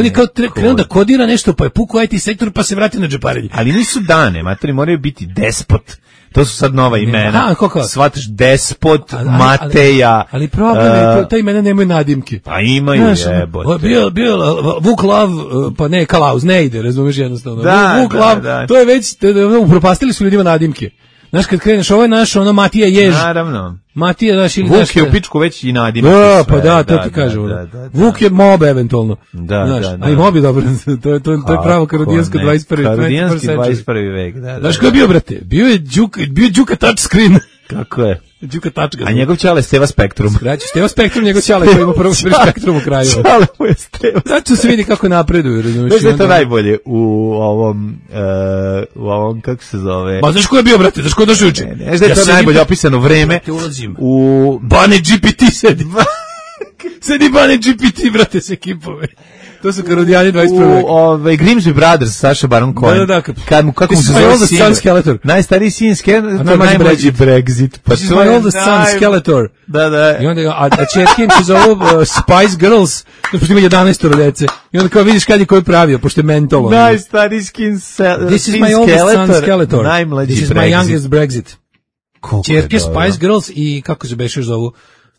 je kao krenuo da kodira nešto, pa je pukao IT sektor, pa se vratio na džeparenje. Ali nisu Dane, matori moraju biti despot. To su sad nova imena. Kako? Shvataš, Despot, Mateja. Ali problem je, ta imena nemaju nadimke. Pa imaju, jebote. Bio Vuk Lav, pa ne, Kalauz, ne ide, razumeš jednostavno. Vuk Lav, to je već, upropastili su ljudima nadimke. Znaš, kad kreneš, ovo je naš, ono, Matija Jež. Naravno. Matija, znaš, ili... Vuk je u pičku već i nadimak. Pa da, to ti kažem. Vuk je mob, eventualno. Da. A i mob je dobro, to je pravo karodijansko 21. Karodijanski 21. vek, da. Znaš ko je bio, brate? Bio je Đuka touchscreen. Kako je? Đuka tačka. A njegov ćale Steva Spektrum. Skraći, Steva Spektrum, njegov ćale koji ima prvo Spektrum u kraju. Ćale mu je Steva. Znači se vidi kako napreduju. Znaš da je to najbolje u ovom, kako se zove? Ma znaš ko je bio, brate? Znaš ko je došao juče? Znaš da je to najbolje opisano vreme u Bane GPT sedi. Sedi Bane GPT, brate, s ekipove. To su Karodijani 21. U Grimsby Brothers, Saša Baron Cohen. Da. Kako mu se zove sin? Skeletor. Najstariji sin Skeletor, najmlađi Brexit. Pa to je my oldest son Skeletor. Da. I onda, a čerke im se zovu Spice Girls, pošto ima 11 dece. I onda kao vidiš kad je koji pravio, pošto je mentolo. Najstariji sin Skeletor. This is my oldest son Skeletor. Najmlađi This is my youngest Brexit. Čerke Spice Girls i kako se bešeš zovu?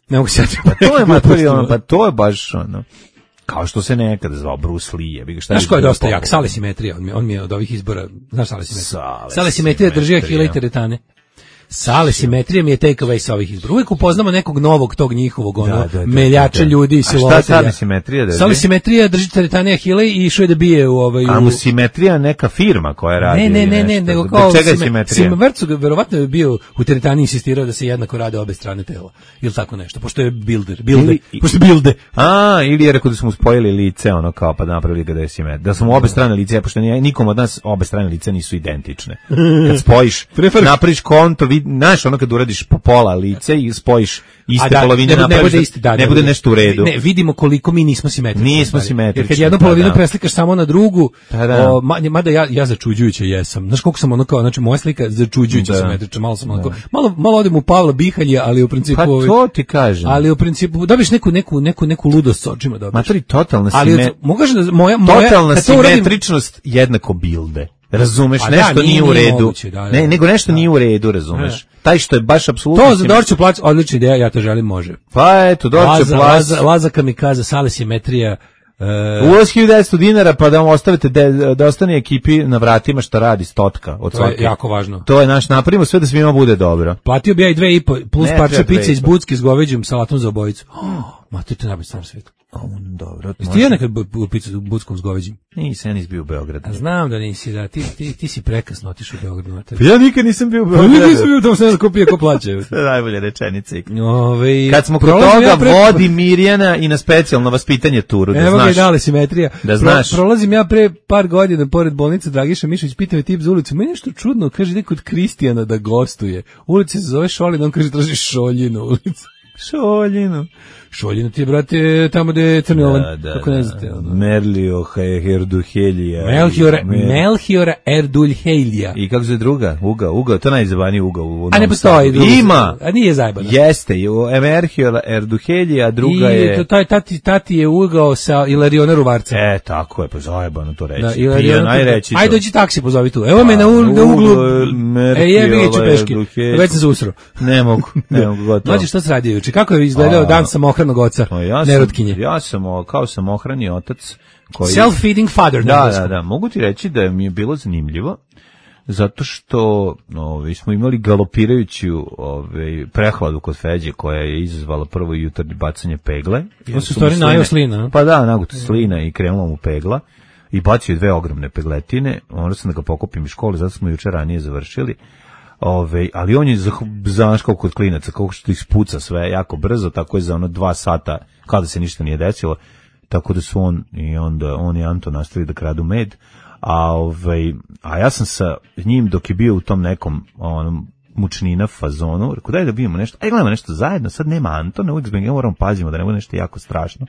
Ne mogu se pa to je baš ono. Kao što se nekada zvao Bruce Lee. Znaš ko je dosta jak? Sale Simetrija. On mi je od ovih izbora... Znaš Sale Simetrija? Sale Simetrija drži Ahila i teretane. Sale Simetrija mi je take away sa ovih izbora. Uvijek upoznamo nekog novog tog njihovog meljača ljudi i silovatelja. A šta Sale Simetrija drži? Sale Simetrija drži teretane Ahila i išao je da bije u ovaj... A mu Simetrija neka firma koja radi? Ne, nego kao... Čega je Simetrija? Vrcu verovatno je bio u teretani insistirao da se jednako rade obe strane tela. Ili tako nešto, pošto je pošto je bilde. Ili je rekao da smo spojili lice, ono kao pa napravili ga da je Simetrija. Da smo obe strane lice, pošto nikom od nas obe strane lice nisu identične. Kad spojiš, napraviš konto, znaš, ono kad uradiš po pola lice i spojiš iste polovine, ne bude nešto u redu. Ne, vidimo koliko mi nismo simetrični. Nismo simetrični. Jer kad jednu polovinu preslikaš samo na drugu, mada ja začuđujuće jesam. Znaš koliko sam ono kao, znači moja slika začuđujuće simetrična, malo sam onako, malo odem u Pavla Bihalja, ali u principu... Pa to ti kažem. Ali u principu, dobiš neku ludost s očima, dobiš. Matori, totalna simetričnost jednako bilde. Razumeš, nešto nije u redu. Moguće, ne, nego nešto nije u redu, razumeš. Taj što je baš apsolutno... To za Dorću plac, odlična ideja, ja to želim, može. Pa eto, Dorću plac... Laza Kamikaza, Sale Simetrija... Ulaz 1900 dinara, pa da vam ostavite da ostane ekipi na vratima šta radi stotka od svake. To je jako važno. To je naš, napravimo sve da svima bude dobro. Platio bi ja i 2,5 plus parče pice iz Bucki s goveđim salatom za obojicu. Mater, to je najbolji stvar svijetu. Dobro. Jesi ti ja nekad picu u Buckom s goveđim? Nisam, ja nisam bio u Beogradu. Znam da nisi, da. Ti si prekasno otišao u Beogradu. Pa ja nikad nisam bio u Beogradu. Nikad nisam bio, tamo se ne kopije ko plaće. To je najbolje rečenice. Kad smo kod toga vodi Mirjana i na specijalno vaspitanje turu, da znaš. Evo ga i dale Simetrija. Da znaš. Prolazim ja pre par godina pored bolnice Dragiša Mišović, pita me tip za ulicu. Meni nešto čudno, kaže ide kod Kristijana da gostuje. Ulica se zove Šolin, on kaže traži Šoljinu ulicu. Šoljinu ti je, brate, tamo gde je Crni Olan, kako ne znate. Merlio Erduhelija. Melchiora Erduhelija. I kako se druga? Uga, to je najzabaniji uga u Novom Sadu. A ne postoji. Ima. A nije zajebano. Jeste, Melchiora Erduhelija, druga je... I tati je ugao sa Ilariona Ruvarca. Tako je, pa zajebano to reći. Ajde, dođi taksi, pozovi tu. Evo me na uglu. Jebi ga ću peške. Već sam se usro. Ne mogu gotovo. Mlađe, šta se radi juče? Kako je izgledao dan samohranog oca, nerotkinje? Ja sam kao samohrani otac koji... Self-feeding father. Da. Mogu ti reći da mi je bilo zanimljivo, zato što smo imali galopirajuću prehladu kod Feđe, koja je izazvala prvo jutarnje bacanje pegle. To su stvari najao slina. Pa da, naguto slina i krenula mu pegla. I bacio 2 ogromne pegletine. Onda sam da ga pokupim iz škole, zato smo juče ranije završili. Ali on je znaš kao kod klinaca, kako što ispuca sve jako brzo, tako je za 2 sata kao da se ništa nije desilo, tako da su on i Anto nastavili da kradu med, a ja sam sa njim dok je bio u tom nekom mučnina fazonu, rekao daj da vidimo nešto, gledamo nešto zajedno, sad nema Antona, uvijek zbog moramo pazimo da ne bude nešto jako strašno,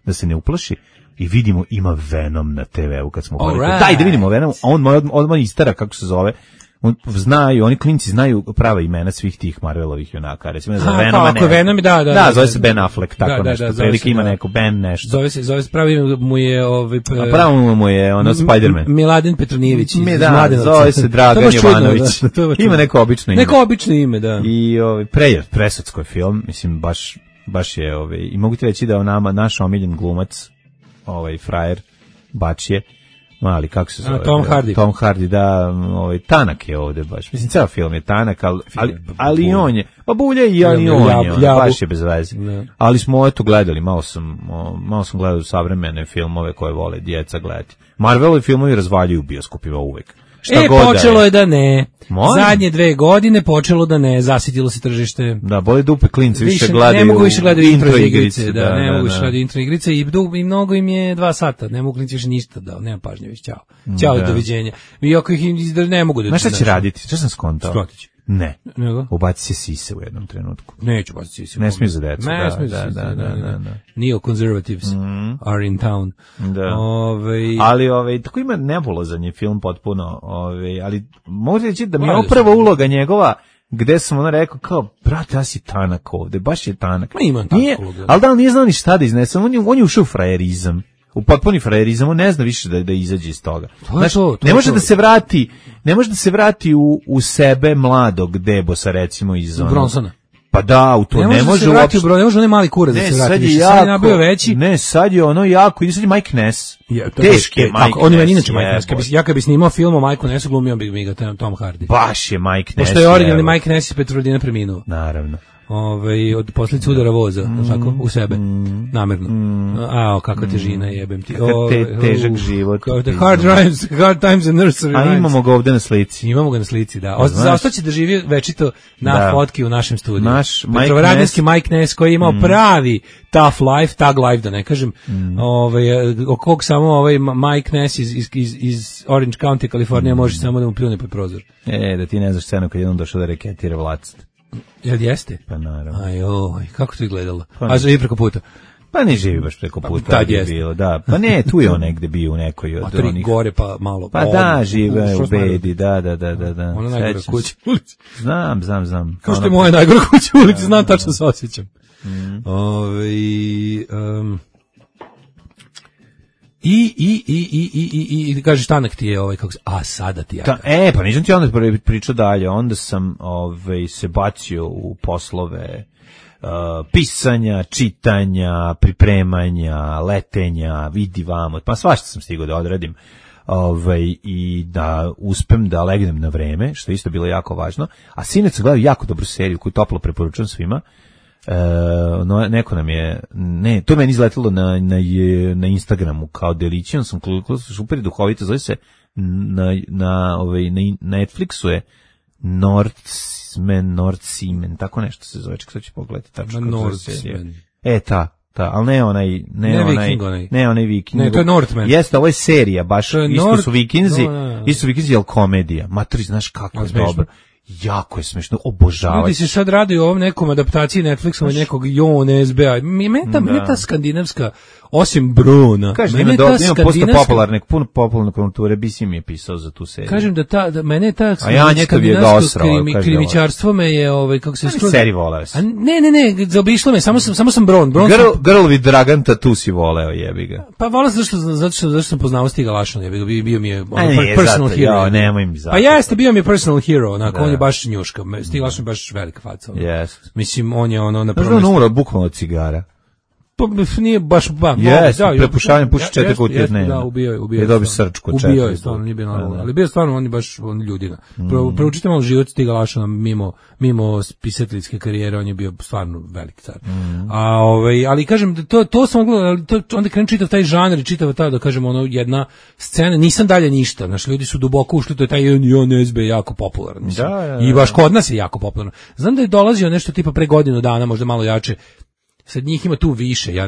da se ne uplaši. I vidimo ima Venom na TV-u kad smo govorili. Daj da vidimo Venom, a on odmah istara kako se zove. Oni klinci znaju prava imena svih tih Marvelovih junaka. Recimo za Venoma. Ako Venom, da, zove se Ben Affleck, tako nešto. Prilike ima neko Ben nešto. Zove se pravi mu je a pravo mu je ono Spider-Man. Miladin Petronijević iz Mladenovca. Zove se Dragan Jovanović. Ima neko obično ime. Neko obično ime, da. I presudsko je film, mislim baš je i mogu ti reći da naš omiljen glumac, frajer Bačije, mali, kako se zove? Tom Hardy, da, tanak je ovde baš. Mislim, ceo film je tanak, ali i on je, pa bulje i on je, baš je bez veze. Ali smo gledali, malo sam gledao savremene filmove koje vole djeca gledati. Marvelovi filmovi razvaljuju u bioskopima uvek. Počelo je da ne. Zadnje 2 godine počelo da ne, zasitilo se tržište. Da, boli dupe klinci, više gledaju. Ne mogu više gledati intro igrice, ne mogu više gledati intro igrice i mnogo im je 2 sata, ne mogu klinci više ništa, nema pažnje više, ćao, doviđenja. I ako ih ne mogu da... Znaš šta će raditi? Šta sam skontao? Skrotić. Ne. Ubaci se sise u jednom trenutku. Neću baciti sise. Ne smiju za decu. Ne smiju za sise. Neo-conservatives are in town. Da. Ali tako ima nebulozan je film potpuno. Ali mogu reći da mi je upravo uloga njegova gde sam rekao kao, brate, ja si tanak ovde, baš je tanak. Ma imam tanak uloga. Ali da, on nije znao ni šta da iznese. On je ušao u frajerizam. U potpuni frajerizam, on ne zna više da izađe iz toga. Ne može da se vrati u sebe mladog Debosa, recimo iz Bronsona. Pa da, u to ne može uopšte. Ne može onaj mali kurac da se vrati. Sad je nabio veći. Ne, sad je ono jako, i sad je Mike Ness. Teški je Mike Ness. On je meni inače Mike Ness. Ja kad bi snimao film o Mike Nessu, glumio bi mi ga Tom Hardy. Baš je Mike Ness. Pošto je originalni Mike Ness iz Petrolina preminuo. Naravno. Od posljedice udara voza, tako, u sebe, namerno. Kakva težina, jebem ti. Težak život. Hard times and nursery rhymes. A imamo ga ovde na slici. Imamo ga na slici, da. Ostaće da živi večito na fotki u našem studiju. Petrovaradinski Mike Ness koji je imao pravi tough life, tag life, da ne kažem, o kog samo Mike Ness iz Orange County, Kalifornija, može samo da mu pljune pod prozor. Da ti ne znaš scenu kad jednom došao da reketira vlast. Jel jeste? Pa naravno. Kako to izgledalo? A živi preko puta? Pa ne živi baš preko puta. Tad jeste. Bilo, da. Pa ne, tu je on negde bio u nekoj od onih. Gore pa malo. Pa da, žive u bedi, da. Ona najgora kuća u ulici. Znam. Kao što je moja najgora kuća u ulici, znam, tačno se osjećam. I kažeš tanak ti je kako se, sada ti ja. Pa nisam ti onda pričao dalje, onda sam se bacio u poslove pisanja, čitanja, pripremanja, letenja, vidi vamo, pa svašta sam stigao da odradim. I da uspem da legnem na vreme, što je isto bilo jako važno. A sinoć sam gledao jako dobru seriju koju toplo preporučujem svima. Neko nam je, to je meni izletilo na Instagramu kao delići, on sam kliknuo, super duhovito, zove se na Netflixu je Nordsmen, tako nešto se zove, ček sad ću pogledati tačno kako se serija. Ali ne onaj Viking. Ne, to je Northman. Jeste, ovo je serija, baš isto su Vikinzi, ali komedija. Matri, znaš kako je dobro. Jako je smešno, obožavaju. Ljudi se sad radi o ovom nekom adaptaciji Netflixom od nekog SBA. Mene ta skandinavska, osim Bruna, mene ta skandinavska... Puno popularne kulture, BC mi je pisao za tu seriju. Kažem da mene je ta skandinavsko krimičarstvo me je, kako se skroz... Seriji voleo si. Ne, zaobišlo me, samo sam Bron. Girl with Dragan Tattoo si voleo, jebi ga. Pa voleo zato što sam poznao Stiga Lašona, jebi ga, bio mi je personal hero. Nemoj mi zato. Pa jeste, bio mi je personal hero, onako, on je baš njuška. Stiga Lašon je baš velika faca. Mislim, on je na prvom mjestu. Umro bukvalno od cigara. Pa nije baš prepušavanjem puši 4 kutije dnevno. Da, ubio je. I dobi srčku 4. Ubio je, stvarno, nije bio normalno. Ali bio stvarno, on je baš ljudina. Proučite malo život Stiga Lašona mimo pisateljske karijere, on je bio stvarno veliki car. Ali kažem, to sam gledao, ali onda krenem čitav taj žanr i čitav ta, da kažem, jedna scena, nisam dalje ništa, naši ljudi su duboko ušli, to je taj SB jako popularan. I baš kod nas je jako popularan. Znam da je dolazio nešto tipa pre godinu dana, možda malo jače. Sad njih ima tu više, ja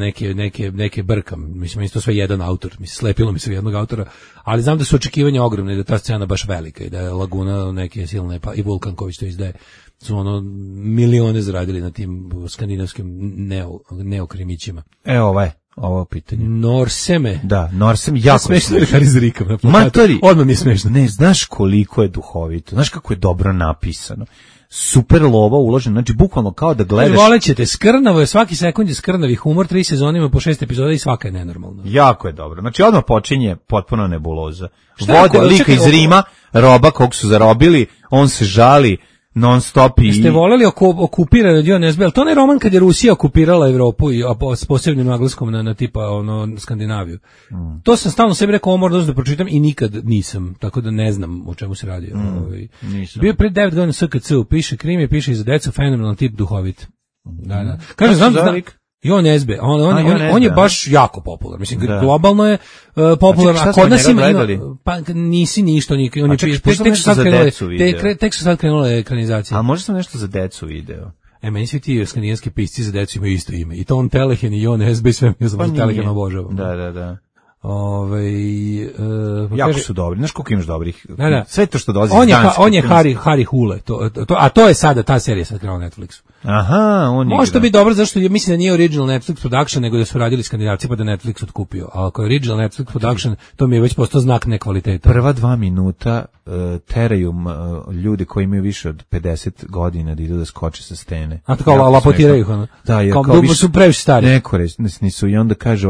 neke brkam, mislim, isto sve jedan autor, slepilo mi se jednog autora, ali znam da su očekivanja ogromne, da ta scena baš velika i da je Laguna neke silne, pa i Vulkan koji to izdaje, su milione zaradili na tim skandinavskim neokrimićima. ovo pitanje? Norseme. Da, Norsem jako smešno je Haris Rikam na plakatu. Matori, odmah mi je smešno. Ne, znaš koliko je duhovito, znaš kako je dobro napisano. Super lova uložena, znači bukvalno kao da gledaš. Volećete, skrnavo je, svaki sekund je skrnavi humor, 3 sezone ima po 6 epizoda i svaka je nenormalna. Jako je dobro, znači odmah počinje potpuno nebuloza. Vode lika iz Rima, roba kog su zarobili, on se žali non stop i... Ste voleli okupirane Dion SB, ali to ne roman kad je Rusija okupirala Evropu i s posebnim naglaskom na tipa Skandinaviju. To sam stalno sebi rekao, ovo moram da pročitam i nikad nisam, tako da ne znam o čemu se radi. Bio pred 9 godina SKC, piše krimi, piše i za decu, fenomenalan tip, duhovit. Da. Kaže, znam i on SB, on je baš jako popularan. Mislim, globalno je popularan, a kod nas ima, pa nisi ništa, on je tek su sad krenule ekranizacije. A možda sam nešto za decu video? Meni svi ti skandinavski pisci za decu imaju isto ime. I to on Telehen i on SB, sve mi za Telehen obožavam. Da. Jako su dobri, znaš koliko imaš dobrih. Da. Sve to što dolazi on je Harry Hule, a to je sada, ta serija sad krenula na Netflixu. Aha, on je. Može to biti dobro, zašto mislim da nije original Netflix production, nego da su radili Skandinavci pa da Netflix otkupio. A ako je original Netflix production, to mi je već postao znak nekvaliteta. Prva 2 minuta teraju ljudi koji imaju više od 50 godina da idu da skoče sa stene. A to kao lapotiraju ih, ono? Da, kao dugo su previše stari. Neko nisu, i onda kaže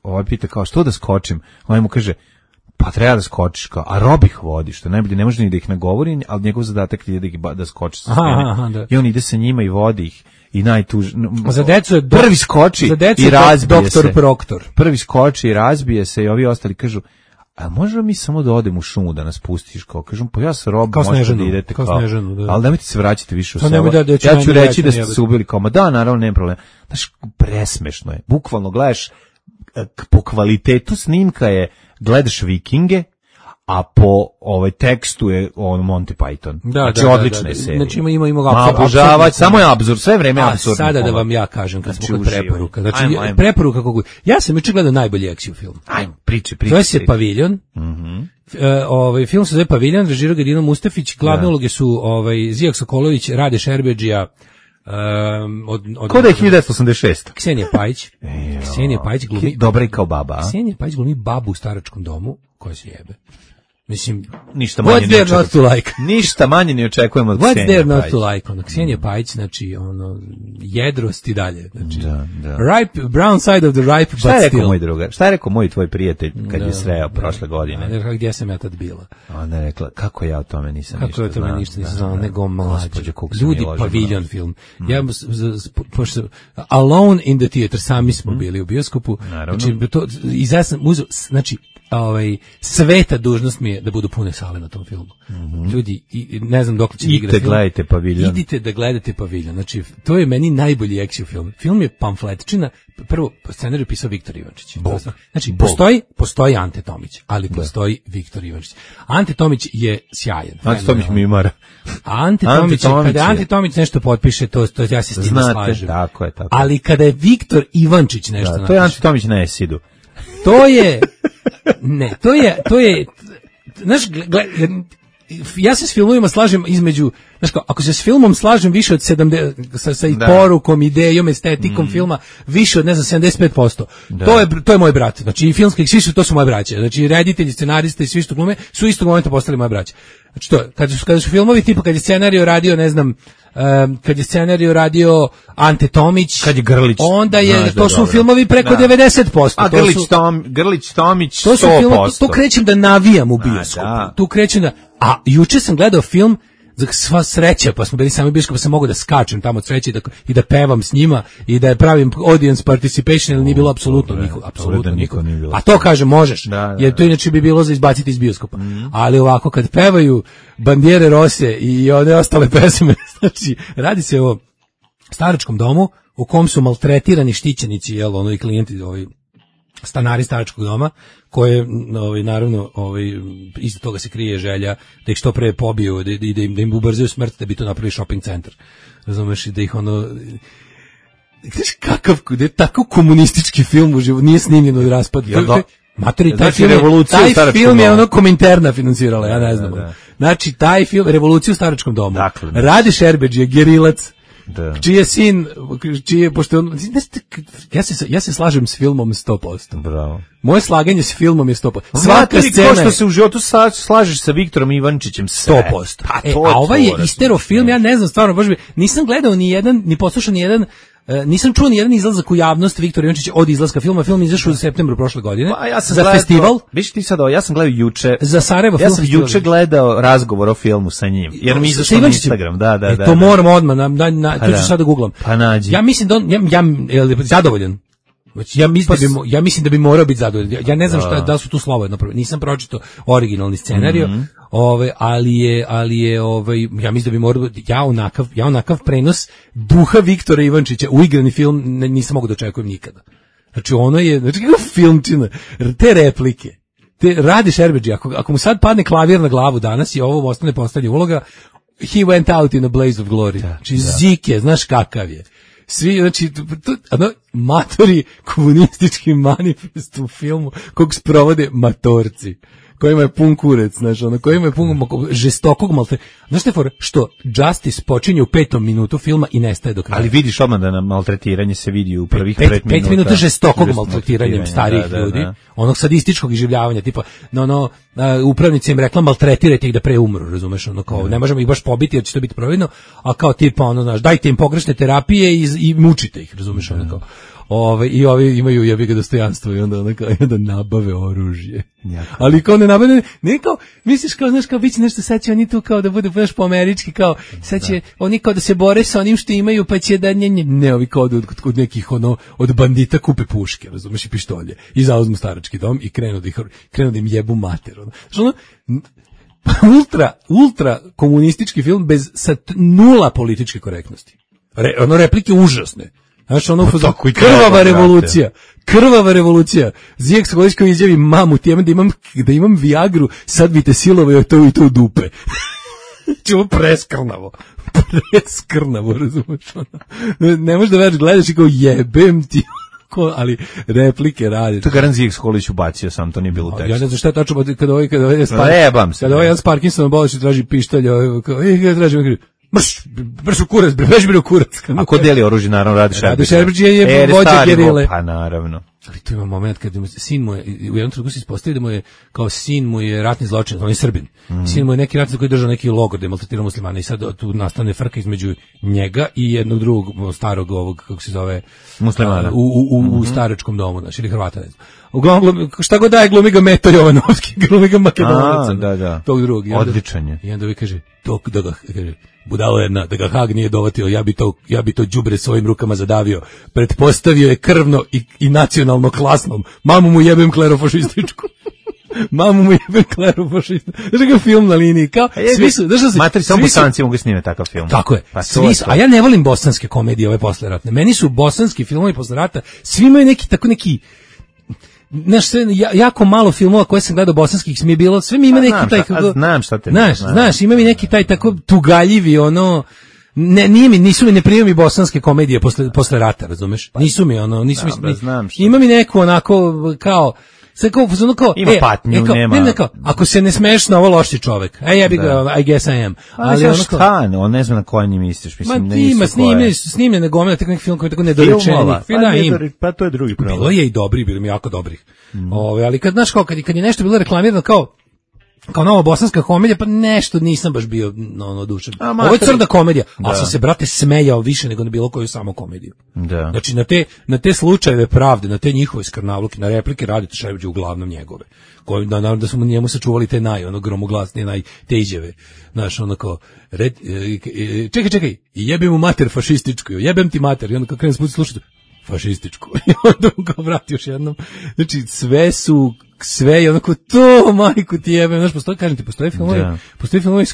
ovaj pita kao što da skočim, ovaj mu kaže pa treba da skočiš, kao, a Rob ih vodi, što najbolje, ne može ni da ih nagovori, ali njegov zadatak je da skoči sa stene. I on ide sa njima i vodi ih. I za decu je prvi skoči i razbije se. Doktor Proktor. Prvi skoči i razbije se i ovi ostali kažu, a možemo mi samo da odemo u šumu da nas pustiš, kao kažem, pa ja sa Robom možete da idete, kao Snežanu, da. Ali nemojte se vraćati više u selo. Ja ću reći da ste se ubili, kao, ma da, naravno, nema problema. Znaš, presmešno je. Bukvalno gledaš, po kvalitetu snimka je, gledaš Vikinge, a po tekstu je Monty Python. Znači, odlična je serija. Znači, ima obožavati, samo je apsurd, sve vreme je apsurd. A sada da vam ja kažem, kad smo kod preporuka. Znači, preporuka kako... Ja sam juče gledao najbolji action film. Ajmo, priči. Zove se Paviljon. Film se zove Paviljon, režirao ga Dino Mustafić, glavne uloge su Zijak Sokolović, Rade Šerbeđija, ko da je 1986. Ksenija Pajić glumi dobra i kao baba. Ksenija Pajić glumi babu u staračkom domu koja se jebe. Mislim, ništa manje ne očekujemo. Ništa manje ne očekujemo od Ksenije Pajić. What's there not to like? Ksenija Pajić, znači, jedrost i dalje. Znači, ripe, brown side of the ripe, but still. Šta je rekao moj tvoj prijatelj kad je sreo prošle godine? Gdje sam ja tad bila? Ona je rekla, kako ja o tome nisam ništa znao. Kako ja o tome ništa nisam znao, nego mlađe. Ljudi, Paviljon film. Ja, pošto Alone in the Theater, sami smo bili u bioskopu. Znači, i ja sam uzeo, znači, sveta dužnost mi je da budu pune sale na tom filmu. Ljudi, ne znam dok će igrati film. Gledajte Paviljon. Idite da gledate Paviljon. Znači, to je meni najbolji action film. Film je pamfletčina. Prvo, scenarij pisao Viktor Ivančić. Znači, postoji Ante Tomić, ali postoji Viktor Ivančić. Ante Tomić je sjajan. Ante Tomić mi mara. Kada Ante Tomić nešto potpiše, to ja se s tim slažem. Tako je. Ali kada je Viktor Ivančić nešto napiše. To je Ante Tomić na Esidu. To je, znaš, ja se s filmovima slažem između, znaš, ako se s filmom slažem više od 70, sa i porukom, idejom, estetikom filma, više od, ne znam, 75%. To je moj brat. Znači, i filmski, to su moje braće. Znači, reditelji, scenaristi i svi što glume su istog momenta postali moje braće. Znači, kada su filmovi, tipa, kad je scenario radio, ne znam, kad je scenario radio Ante Tomić, kad je Grlić, onda je, to su filmovi preko 90%. A Grlić, Tomić, 100%. To su filmovi, tu krećem da navijam u bioskopu. Tu krećem da, a juče sam gledao film, sva sreća, pa smo bili sami bioskop, pa sam mogao da skačem tamo od sreće i da pevam s njima i da pravim audience participation, ili nije bilo apsolutno niko. A to kažem, možeš, jer to inače bi bilo za izbaciti iz bioskopa. Ali ovako, kad pevaju Bandiere Rose i one ostale pesme, znači, radi se o staračkom domu u kom su maltretirani štićenici, i klijenti, stanari staračkog doma, koje, naravno, iza toga se krije želja da ih što pre pobiju, da im ubrzaju smrt, da bi to napravili shopping centar. Razumeš, da ih da je tako komunistički film u životu, nije snimljen od raspad. Matori, taj film je Kominterna financirala, ja ne znam. Znači, taj film, Revoluciju u staračkom domu. Rade Šerbeđija, gerilac, pošto on, ja se slažem s filmom 100%. Bravo. Moje slaganje s filmom je 100%. Svaka scena ko što se u životu slažeš sa Viktorom Ivančićem 100%. A ovaj je isterofilm, ja ne znam, stvarno, baš nisam gledao ni poslušao ni jedan, nisam čuo ni jedan izlazak u javnost Viktora Ivančića od izlaska filma. Film izašao u septembru prošle godine. Za festival. Viš ti sad ovo, ja sam gledao juče. Za Sarajevo film. Ja sam juče gledao razgovor o filmu sa njim. Jer mi izašao na Instagram. Da. To moram odmah, to ću sad da googlam. Pa nađi. Ja mislim da ja zadovoljan. Ja mislim da bi morao biti zadovoljan. Ja ne znam da su tu slova napravili. Nisam pročitao originalni scenarijo, ali je ja mislim da bi morao, ja onakav prenos duha Viktora Ivančića u igrani film nisam mogu da očekujem nikada. Znači ono je, kako filmčina, te replike. Radi Šerbedži, ako mu sad padne klavir na glavu danas i ovo ostane postavlja uloga, he went out in a blaze of glory. Znači Zike, znaš kakav je. Svi, znači, matori komunistički manifest u filmu kog sprovode matorci, kojima je pun kurec, znaš, kojima je pun žestokog Znaš te što Justice počinje u 5. minutu filma i nestaje do kraja. Ali vidiš odmah da na maltretiranje se vidi u prvih 5 minuta. 5 minuta žestokog maltretiranjem starijih ljudi, onog sadističkog iživljavanja, tipa, upravnica im rekla maltretirajte ih da pre umru, razumeš, kao, ne možemo ih baš pobiti jer će to biti providno, a kao tipa, znaš, dajte im pogrešne terapije i mučite ih, razumeš, kao. I ovi imaju jebiga dostojanstvo i onda nabave oružje. Ali kao ne nabave, ne kao, misliš kao, znaš, kao bit će nešto, sad će oni tu kao da bude baš po američki, kao, sad će oni kao da se bore sa onim što imaju, pa će da ne, ovi kao od nekih, od bandita kupe puške, razumeš, i pištolje, i zauzmu starački dom i krenu da im jebu mater. Znači, ultra komunistički film bez nula političke korektnosti. Replike užasne. Znaš, krvava revolucija. Zijek Sokolić izjavi mamu, da imam Viagru, sad bi te silovao to i to u dupe. Čemo preskrnavo, razumiješ, ne možeš da već gledaš i kao jebem ti, ali replike radi. To je garant Zijek Sokolić ubacio, sam to nije bilo u tekstu. Ja ne znam šta je tačno, kada ovaj Jan Parkinson boliš i traži pištolj, traži brš u kurac, u kurac. A ko deli oružje, naravno, Radi Šerbedži. Radi Šerbedži je vođa gerile. Pa naravno. Ali tu ima moment kad sin mu je, u jednom trenutku se ispostavi da mu je, kao sin mu je ratni zločinac, on je Srbin. Sin mu je neki ratni koji je držao neki logor da je maltretirao muslimane i sad tu nastane frka između njega i jednog drugog starog ovog, kako se zove, muslimana. U staračkom domu, znači, ili Hrvata, ne znam. Uglavnom, šta god daje, glumi ga Meto Jovanovski, glumi ga Makedonaca. Da. Tog drugog. Odličan je. I onda vi kaže, budalo jedna, da ga Hag nije dovatio, ja bi to đubre svojim rukama zadavio. Pretpostavio je krvno i nacionalno klasnom. Mamu mu jebem klerofašističku. Znaš ga film na liniji, kao, svi su, materi, samo Bosanci mogu snime takav film. Tako je, svi su, a ja ne volim bosanske komedije ove posleratne. Meni su bosanski filmovi posle rata, svi imaju neki znaš, jako malo filmova koje sam gledao bosanskih mi je bilo, sve mi ima neki taj, znam šta te, znaš, ima mi neki taj tako tugaljivi, nisu mi, ne primaju mi bosanske komedije posle rata, razumeš? Nisu mi, ima mi neko onako, kao, ima patnju, nema. Ako se ne smeš na ovo loši čovjek. Ja bih ga, I guess I am. Ali šta, on ne zna na koji njim misliš. Ima snimljene gomile, tako neki film koji je tako nedorečeni. Pa to je drugi problem. Bilo je i dobri, bilo mi jako dobrih. Ali kad, znaš, kad je nešto bilo reklamirano kao nova bosanska komedija, pa nešto nisam baš bio odušen. Ovo je crna komedija, ali sam se, brate, smejao više nego na bilo koju samo komediju. Da. Znači, na te slučajeve pravde, na te njihove skrnavluke, na replike Radite Šerbedži uglavnom njegove. Naravno da smo njemu sačuvali te gromoglasnije, te izjave. Znaš, kao, čekaj, jebem mu mater fašističku, jebem ti mater, i onda kao krenem sputi slušati, fašističku. I onda mu kao vrati još jednom. Znači, sve je onako to, majku ti jebem. Znaš, postoje filmovi s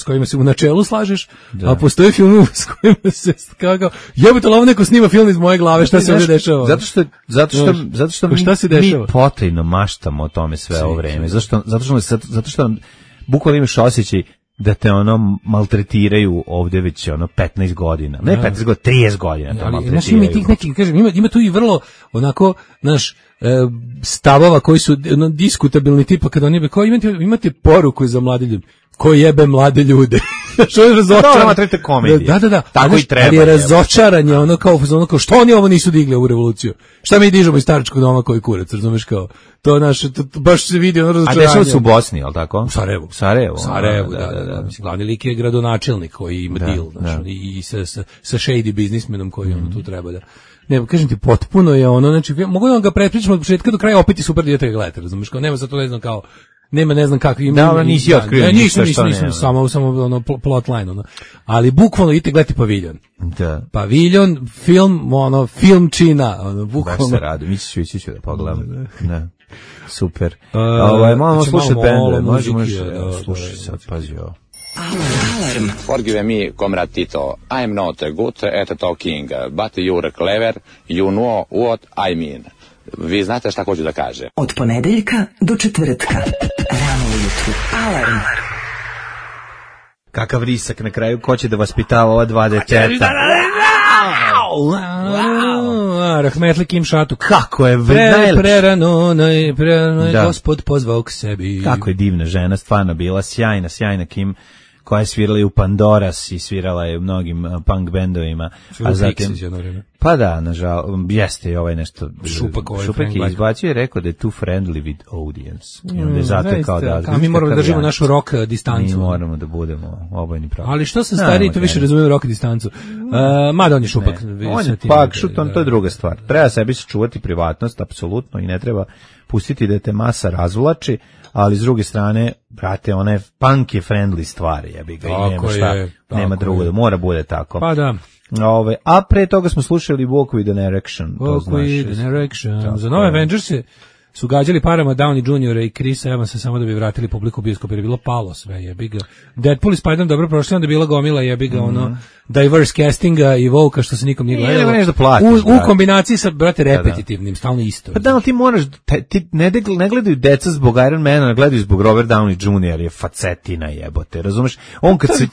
kojima se u načelu slažeš, a postoje filmovi s kojima se kao, jebate, ovo neko snima film iz moje glave, šta se ovdje dešava? Zato što mi potajno maštamo o tome sve ovo vreme. Zato što bukvalno imaš osjećaj da te maltretiraju ovdje već 15 godina. Ne 15 godina, 30 godina to maltretiraju. Ima tu i vrlo onako, znaš, stavova koji su diskutabilni, tipa kada oni kao imate poruku za mladi ljudi. ko jebe mlade ljude. Što je razočaran. Trete komedije. Da. Tako i treba. Ali je razočaranje, ono kao što oni ovo nisu digli u revoluciju. Šta mi dižemo iz staračkog doma koji kurac, razumeš kao. To naše baš se vidi ono razočaranje. A dešava se u Bosni, je l' tako? U Sarajevu. Da. Mislim, glavni lik je gradonačelnik koji ima deal, znači, i sa shady biznismenom koji ono tu treba da. Ne, kažem ti, potpuno je ono, znači, mogu da vam ga prepričam od početka do kraja, opet i super dijete ga gledate, razumiješ, kao nema sad to ne znam kao, nema ne znam kako ima. Da, nisi otkrio ništa što nema. Samo ono plotline, ono. Ali bukvalno idite gledati Paviljon. Da. Paviljon, film, ono, filmčina, ono, bukvalno. Baš se radi, mi ću da pogledam. Ne. Super. Malo slušati bende, možemo slušati sad, pazi ovo. Alarm. Forgive me, comrade Tito. I am not good at talking, but you're clever, you know what I mean. Vi znate šta hoću da kažem. Od ponedeljka do četvrtka. Rano ujutru. Alarm. Kakav risak na kraju, ko će da vaspitava ova dva deteta? Rahmetli Kim Šatu. Kako je prerano je Gospod pozvao k sebi. Kako je divna žena, stvarno bila sjajna Kim, koja je svirala i u Pandoras i svirala je u mnogim punk bendovima. A zatim, pa da, nažal, jeste i ovaj nešto. Šupak je izbacio i rekao da je too friendly with audience. I onda je zato kao da... A mi moramo da držimo našu rock distancu. Mi moramo da budemo obojni pravi. Ali što sam stariji, to više razumiju rock distancu. Mada on je Šupak. On je pak šuton, to je druga stvar. Treba sebi se čuvati privatnost, apsolutno, i ne treba pustiti da te masa razvlači, ali s druge strane, brate, ona je punk je friendly stvar, jebi ga, i nema drugo, da mora bude tako. Pa da. A pre toga smo slušali Walk with an Erection. Walk with an Erection. Za nove Avengerse su gađali parama Downey Jr. i Chrisa Evansa samo da bi vratili publiku u bioskop, jer je bilo palo sve, jebi ga. Deadpool i Spider-Man dobro prošli, onda je bila gomila, jebi ga, ono, diverse castinga i Volka, što se nikom nije gledalo. U kombinaciji sa, brate, repetitivnim, stalno isto. Pa da, ali ti moraš, ti ne gledaju deca zbog Iron Mana, gledaju zbog Robert Downey Jr. je facetina, jebote, razumeš? On kad se...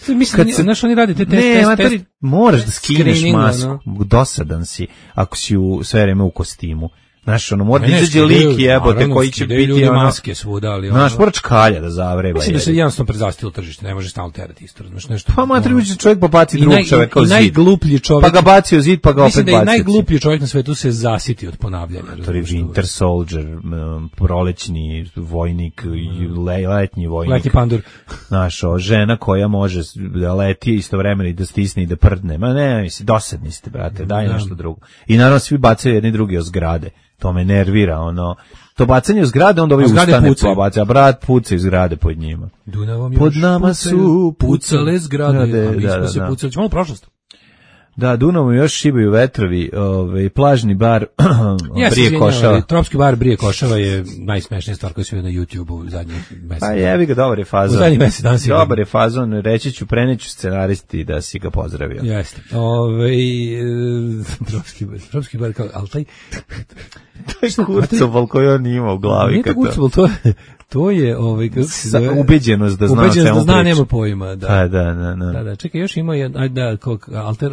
Znaš, oni radi te test. Moraš da skineš masku, dosadan si, ako si sve vreme u kostimu. Znaš, ono, mora da izađe lik jebote koji će biti ono... maske svuda, ali... Znaš, mora čkalja da zavreba. Mislim da se jednostavno prezastilo tržište, ne može stalno terati isto, znaš, nešto... Pa matri uđe čovjek pa baci drugog čoveka u zid. I najgluplji čovjek... Pa ga baci u zid, pa ga opet baci. Mislim da i najgluplji čovjek na svetu se zasiti od ponavljanja. To je Winter Soldier, prolećni vojnik, letnji vojnik. Letnji pandur. Znaš, žena koja može da leti istovremeno i da stisne i da prdne. Ma ne, mislim, dosadni ste, brate, daj nešto drugo. I naravno svi bacaju jedni drugi o zgrade. To me nervira, ono. To bacanje u zgrade, onda ovi ustane pa baca, a brat puca iz zgrade pod njima. Pod nama su pucale zgrade, a mi smo se pucali. Malo prošlost. Da, Dunavom još šibaju vetrovi, plažni bar Brije Košava. Tropski bar Brije Košava je najsmešnija stvar koja se vidi na YouTube-u u zadnjih mesec. Pa jevi ga, dobar je fazon. U zadnjih mesec danas je. Dobar je fazon, reći ću, preneću scenaristi da si ga pozdravio. Jeste. Tropski bar kao, ali taj kurcoval koji on ima u glavi. Nije to kurcoval, to je ubeđenost da zna o čemu priča. Nema pojma, da. Da. Čekaj, još ima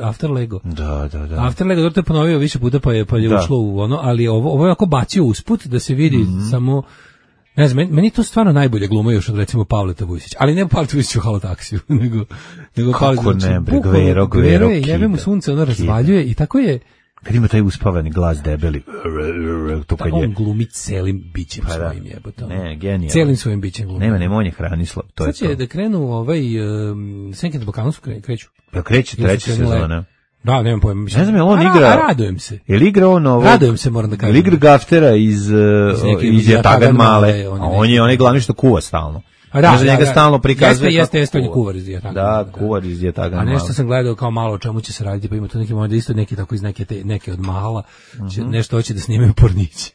After Lego. Da. After Lego, to je ponovio više puta pa je ušlo u ono, ali ovo je ako bacio usput da se vidi samo, ne znam, meni to stvarno najbolje gluma još od recimo Pavleta Vujsića, ali ne Pavleta Vujsića u Halotaksiju, nego kako ne, Gvero je, jebe mu sunce, ono razvaljuje i tako je. Kad ima taj uspavani glas debeli. On glumi celim bićem svojim jebotom. Ne, genijalno. Celim svojim bićem glumi. Nema, on je Hranislav, to je to. Sad će da krenu Senke na Balkanu kreću. Ja kreće treća sezona. Da, nemam pojma. Ne znam, je on igra... Radujem se. Je li igra on ovo... Radujem se, moram da kažem. Je li igra Gaftera iz Jatagan Male? On je onaj glavni što kuva stalno. Da, njega stalno prikazuje. Jeste, on je kuvar iz Jatagan. Da, kuvar iz Jatagan. A nešto sam gledao kao malo o čemu će se raditi, pa ima tu neki možda isto neki tako iz neke od mahala, nešto hoće da snimaju pornići.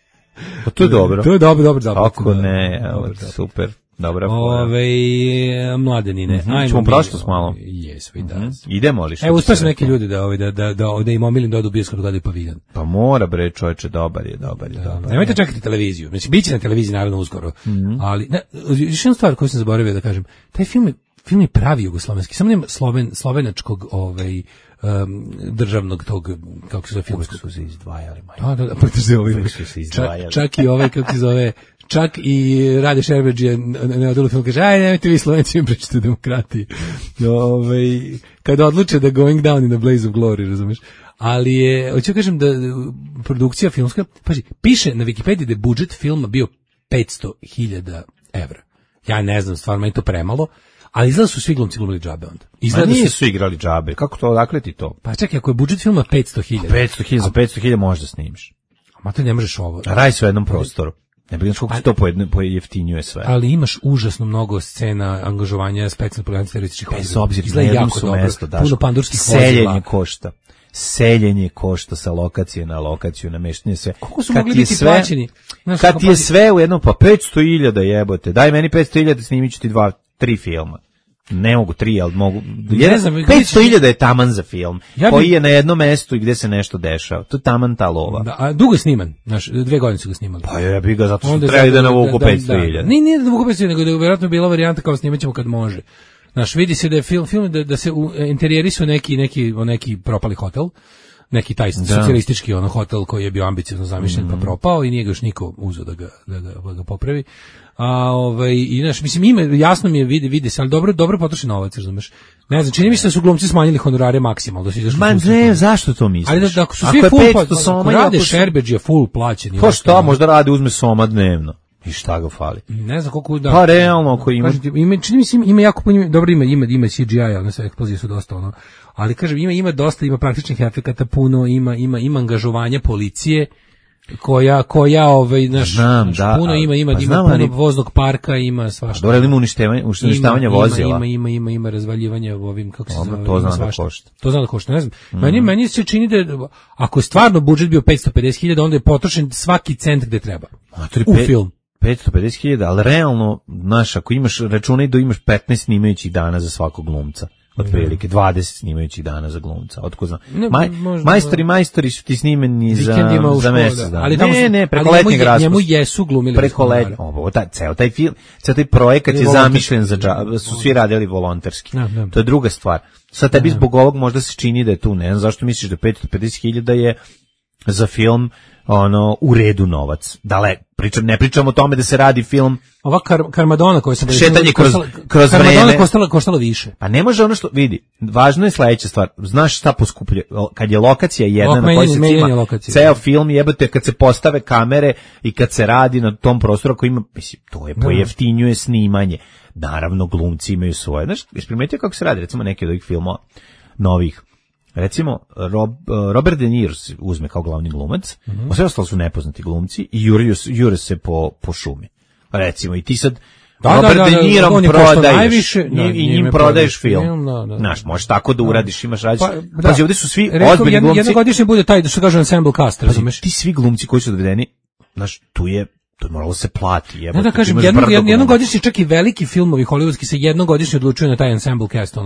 Pa to je dobro. To je dobro. Ako ne, super. Dobra fora. Mladenine. Ćemo prošlost malo. Jesmo i da. Idemo li? Evo, uspio sam neki ljudi da im omilim da odu bioskop da gledaju Paviljon. Pa mora bre, čoveče, dobar je. Nemojte čekati televiziju. Znači, bit će na televiziji naravno uskoro. Ali, još jedna stvar koju sam zaboravio da kažem. Taj film je pravi jugoslovenski. Samo nema slovenačkog državnog tog, kako se zove, filmskog. Su se izdvajali. Da, pa čak i kako se zove, čak i Rade Šerbedžija ne odelu film, kaže, aj, nemojte vi Slovenci im pričati o demokratiji. Kada odluče da Going Down in the Blaze of Glory, razumeš? Ali je, hoću kažem da produkcija filmska, paži, piše na Wikipediji da je budžet filma bio 500.000 evra. Ja ne znam, stvarno je to premalo, ali izgleda su svi glumci glumili džabe onda. Izgleda nisu svi igrali džabe, kako to, odakle ti to? Pa čekaj, ako je budžet filma 500.000. 500.000, za 500.000 možda snimiš. Ma to ne možeš ovo. Radi se u jednom prostoru. Ne bih koliko se to pojeftinjuje sve. Ali imaš užasno mnogo scena angažovanja specijalnih programa terorističkih. Bez obzira, na jednom su mesto, puno pandurskih vozila. Seljenje košta sa lokacije na lokaciju, nameštanje sve. Koliko su mogli biti plaćeni? Kad ti je sve u jednom, pa 500.000 jebote, daj meni 500.000, snimit ću ti 2-3 filma. Ne mogu 3, ali mogu... 500.000 je taman za film, koji je na jednom mestu i gde se nešto dešava. To je taman ta lova. Da, a dugo je sniman, znaš, 2 godine su ga snimali. Pa ja bih ga, zato što treba da navuku 500.000. Nije da navuku 500.000, nego da je vjerojatno bila varijanta kao snimat ćemo kad može. Znaš, vidi se da je film da se interijeri su neki propali hotel, neki taj socijalistički hotel koji je bio ambiciozno zamišljen pa propao i nije ga još niko uzeo da ga popravi. I znaš, mislim, jasno mi je, vidi se, ali dobro potroši novac, razumeš. Ne znam, čini mi se da su glumci smanjili honorare maksimalno, da su izašli. Ma ne, zašto to misliš? Ali da ako su svi full, rade Šerbedžija full plaćeni. Pa šta, možda radi, uzme soma dnevno. I šta ga fali? Ne znam koliko da. Pa realno ako ima. Čini mi se ima jako puno, dobro ima CGI, one sve eksplozije su dosta ali kažem ima dosta, ima praktičnih efekata puno, ima angažovanja policije koja naš puno ima puno voznog parka, ima svašta. Dobro, ima uništavanje vozila. Ima razvaljivanje ovim, kako se zove. To znam da košta. To znam da košta, ne znam. Meni se čini da ako je stvarno budžet bio 550.000, onda je potrošen svaki cent gde treba. U film. 550.000, ali realno, znaš, ako imaš računaj da imaš 15 snimajućih dana za svakog glumca, otprilike 20 snimajućih dana za glumca, otko znam. Majstori su ti snimeni za mjesec dana. Ne, preko letnjeg raspusta. Njemu jesu glumili. Preko letnjeg, ceo taj film, ceo taj projekat je zamišljen za džabe, su svi radili volonterski. To je druga stvar. Sad tebi zbog ovog možda se čini da je tu, ne znam zašto misliš da 550.000 je za film u redu novac. Ne pričamo o tome da se radi film. Ova Karmadona koja se šetanje kroz vreme koštala više. Pa ne može što vidi. Važno je sledeća stvar. Znaš šta poskupljuje? Kad je lokacija jedna na kojoj se cima ceo film, jebote, kad se postave kamere i kad se radi na tom prostoru koji ima, mislim, to je pojeftinjuje snimanje. Naravno, glumci imaju svoje. Znaš, primetio kako se radi, recimo neki od ovih filmova novih. Recimo, Robert De Niro uzme kao glavni glumac, a sve ostalo su nepoznati glumci i jure se po šumi. Recimo, i ti sad Robert De Nirom prodaješ i njim prodaješ film. Znaš, možeš tako da uradiš, imaš različite. Pazi, ovdje su svi ozbiljni glumci. Jednogodišnje bude taj, da što kaže ensemble cast, razumeš? Ti svi glumci koji su dovedeni, znaš, tu je moralo se plati. Da kažem, jednogodišnji, čak i veliki filmovi hollywoodski se jednogodišnje odlučuju na taj ensemble cast,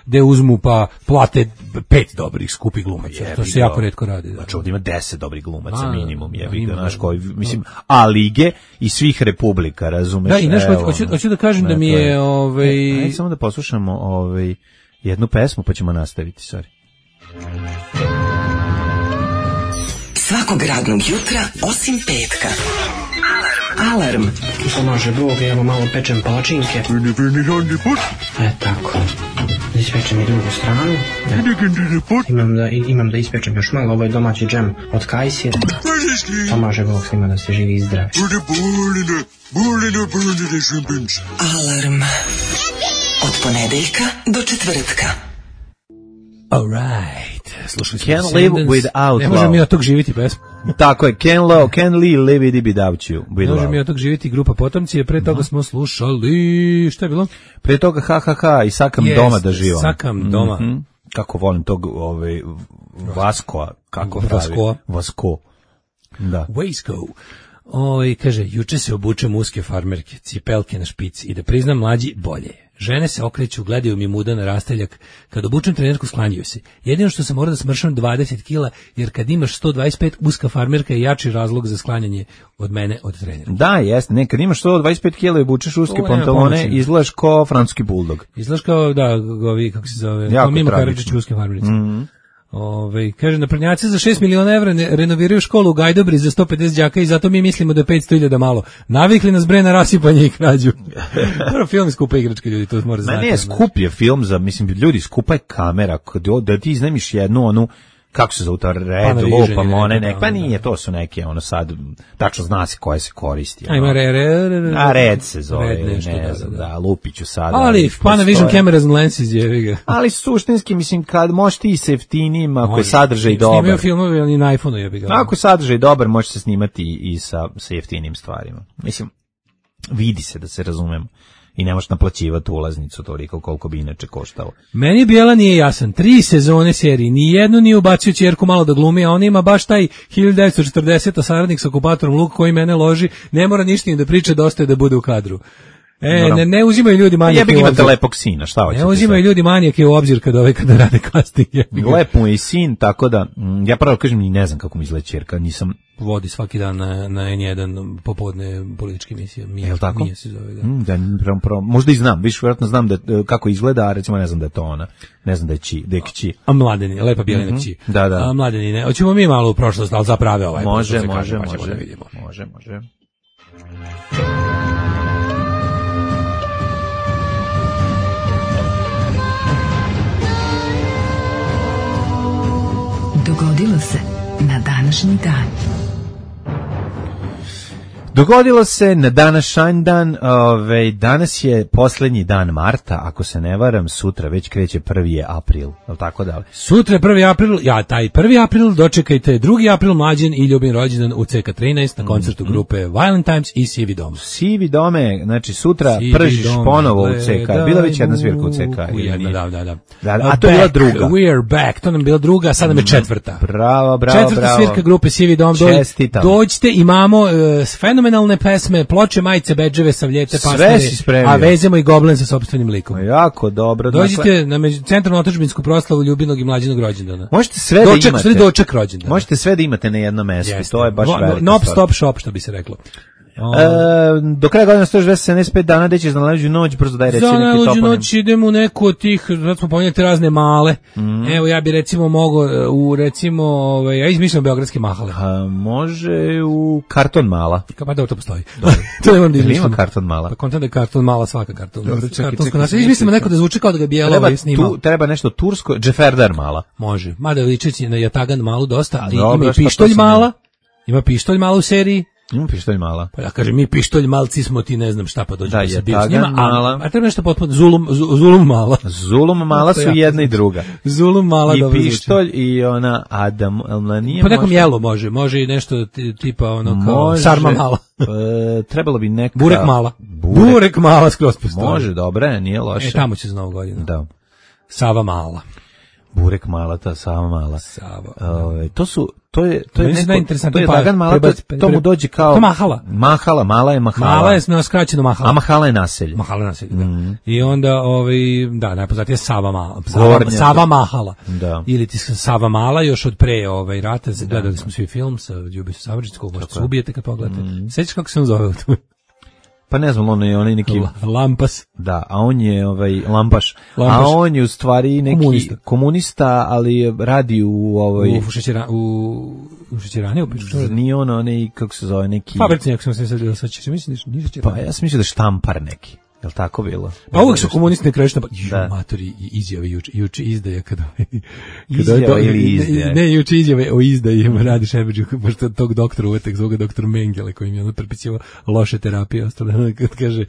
gde uzmu pa plate 5 dobrih skupih glumaca. To se jako retko radi. Znači ovdje ima 10 dobrih glumaca minimum, znaš koji, mislim, A lige i svih republika, razumeš? Da, i nešto, hoću da kažem da mi je... Ajde samo da poslušamo jednu pesmu, pa ćemo nastaviti, sorry. Svakog radnog jutra, osim petka. Alarm. Pomaže Bog, evo malo pečem palačinke. Tako. Ispečem i drugu stranu. Imam da ispečem još malo, ovo je domaći džem od kajsira. Pomaže Bog svima da ste živi i zdravi. Alarm. Od ponedeljka do četvrtka. Alright. Slušaj, Can't live without love. Ne možemo mi od tog živiti pesmu. Tako je, Can't live without you. Ne možemo mi od tog živiti grupa Potomci, pre toga smo slušali, šta je bilo? Pre toga i Sakam doma da živam. Sakam doma. Kako volim tog Vaskoa, kako Vasko. Da. Vasko. Kaže, juče se obučem uske farmerke, cipelke na špici i da priznam mlađi, bolje je. Žene se okreću, gledaju mi muda na rasteljak. Kad obučem trenerku, sklanjaju se. Jedino što sam mora da smršam 20 kila, jer kad imaš 125, uska farmerka je jači razlog za sklanjanje od mene, od trenera. Da, jeste. Kad imaš 125 kila i obučeš uske pantalone, izgledaš kao francuski buldog. Izgledaš kao, kako se zove, jako Mimo Karadžić uske farmerice. Kaže, naprednjaci za 6 miliona evra renoviraju školu u Gajdobri za 150 đaka i zato mi mislimo da je 500.000 malo. Navikli nas bre na rasipanje i krađu. Prvo film je skupa igračka, ljudi, to mora znati. Ne, skup je film za, mislim, ljudi, skupa je kamera, da ti iznajmiš jednu, onu, kako se zove to, Red Loop, pa nije, to su neke, ono sad, tačno zna se koje se koristi. Ima Red se zove, ne znam, da, lupiću sad. Ali, Panavision cameras and lenses je. Ali suštinski, mislim, kad možeš ti sa jeftinim, ako je sadržaj dobar. Snimaju filmove, ali na iPhone-u je. Ako je sadržaj dobar, može se snimati i sa jeftinim stvarima. Mislim, vidi se da se razumemo. I ne možeš naplaćivati ulaznicu toliko koliko bi inače koštalo. Meni Bijela nije jasan. 3 sezone serije, ni jednu nije ubacio ćerku malo da glumi, a on ima baš taj 1940 saradnik sa okupatorom Luk koji mene loži, ne mora ništa ni da priča, dosta je da bude u kadru. Ne uzimaju ljudi manijake u obzir. Imate lepog sina, šta hoćete? Ne uzimaju ljudi manijake u obzir kada rade casting. Lep mu je i sin, tako da, ja pravo kažem, ni ne znam kako mi izgleda ćerka, nisam... Vodi svaki dan na N1 popodne političke emisije. Je li tako? Mija se zove, da. Možda i znam, vjerojatno znam kako izgleda, a recimo ne znam da je to ona. Ne znam da je kći. A Mladeni, lepa Bijelina kći. Da. A Mladeni, ne. Hoćemo mi malo u prošlost, ali zaprave ovaj. Može. Dogodilo se na današnji dan. Dogodilo se na današnji dan, danas je posljednji dan marta, ako se ne varam, sutra već kreće 1. april, je tako da li? Sutra je 1. april, taj 1. april, dočekajte 2. april Mlađen i Ljubin rođendan u CK13 na koncertu grupe Violent Times i Sivi Dom. Sivi Dome, znači sutra pržiš ponovo u CK, bila već jedna svirka u CK. Da. A to je bila druga. We are back, to nam je bila druga, a sad nam je četvrta. Bravo. Četvrta svirka grupe Sivi Dom, dođite, imamo fenomenalne pesme, ploče, majice, bedževe, savljete, pastire, a vezemo i Goblen sa sopstvenim likom. Jako dobro. Dođite na centralnu otadžbinsku proslavu Ljubinog i Mlađinog rođendana. Možete sve da imate. Doček rođendana. Možete sve da imate na jednom mjestu. To je baš velika stvar. Stop shop, što bi se reklo. Do kraja godina 175 dana, gde ćeš za najluđu noć, brzo daj reći neki toponim. Za najluđu noć idemo u neku od tih, sad smo pomenjati razne male. Evo, ja bi recimo mogao ja izmišljam beogradske mahale. Može u Karton Mala. Pa da, to postoji. To ne moram da izmišljam. Ima Karton Mala. Pa kontam da je Karton Mala, svaka Karton. Izmislimo neko da zvuči kao da ga Bijelo snimao. Treba nešto tursko, Džeferdar Mala. Može. Mada ličeći na Jatagan Malu dosta, ali ima i Pištolj Mala. Ima Pištolj Mala u seriji. Ima Pištolj Mala. Pa ja kažem, mi Pištolj Malci smo, ti ne znam šta, pa dođe da se bio s njima. A treba nešto potpuno, Zulum Mala. Zulum Mala su jedna i druga. Zulum Mala, dobro zvuči. I Pištolj i ona Adam, nije po nekom jelu može i nešto tipa ono kao Sarma Mala. Trebalo bi neka... Burek Mala. Burek Mala skroz postoji. Može, dobro, nije loše. Tamo će za Novu godinu. Da. Sava Mala. Burek Mala, ta Sava Mala. To je Dagan Mala, to mu dođe kao... To Mahala. Mala je Mahala. Mala je skraćeno Mahala. A Mahala je naselje. Da. I onda, najpoznatije Sava Mala. Sava Mahala. Da. Ili ti Sava Mala, još od pre rata, gledali smo svi film sa Ljubisom Savrđickom, možete se ubijete kad pogledate. Sećaš kako se on zove? Pa ne znam, on je neki... Lampas. Da, a on je Lampaš. A on je u stvari neki komunista, ali radi u u šećerani, nije on onaj, kako se zove, neki... Fabrici, ako sam se sad mislim, nije šećerani. Pa ja sam mislio da je štampar neki. Je li tako bilo? Pa uvijek su komunisti na kraju matori i izjave juče izdaje izjave ili izdaje? Ne, juče izjave o izdaji radi Šebeđu, pošto tog doktora uvetek zove doktor Mengele koji mi je prepisivao loše terapije, ostalo kad kaže,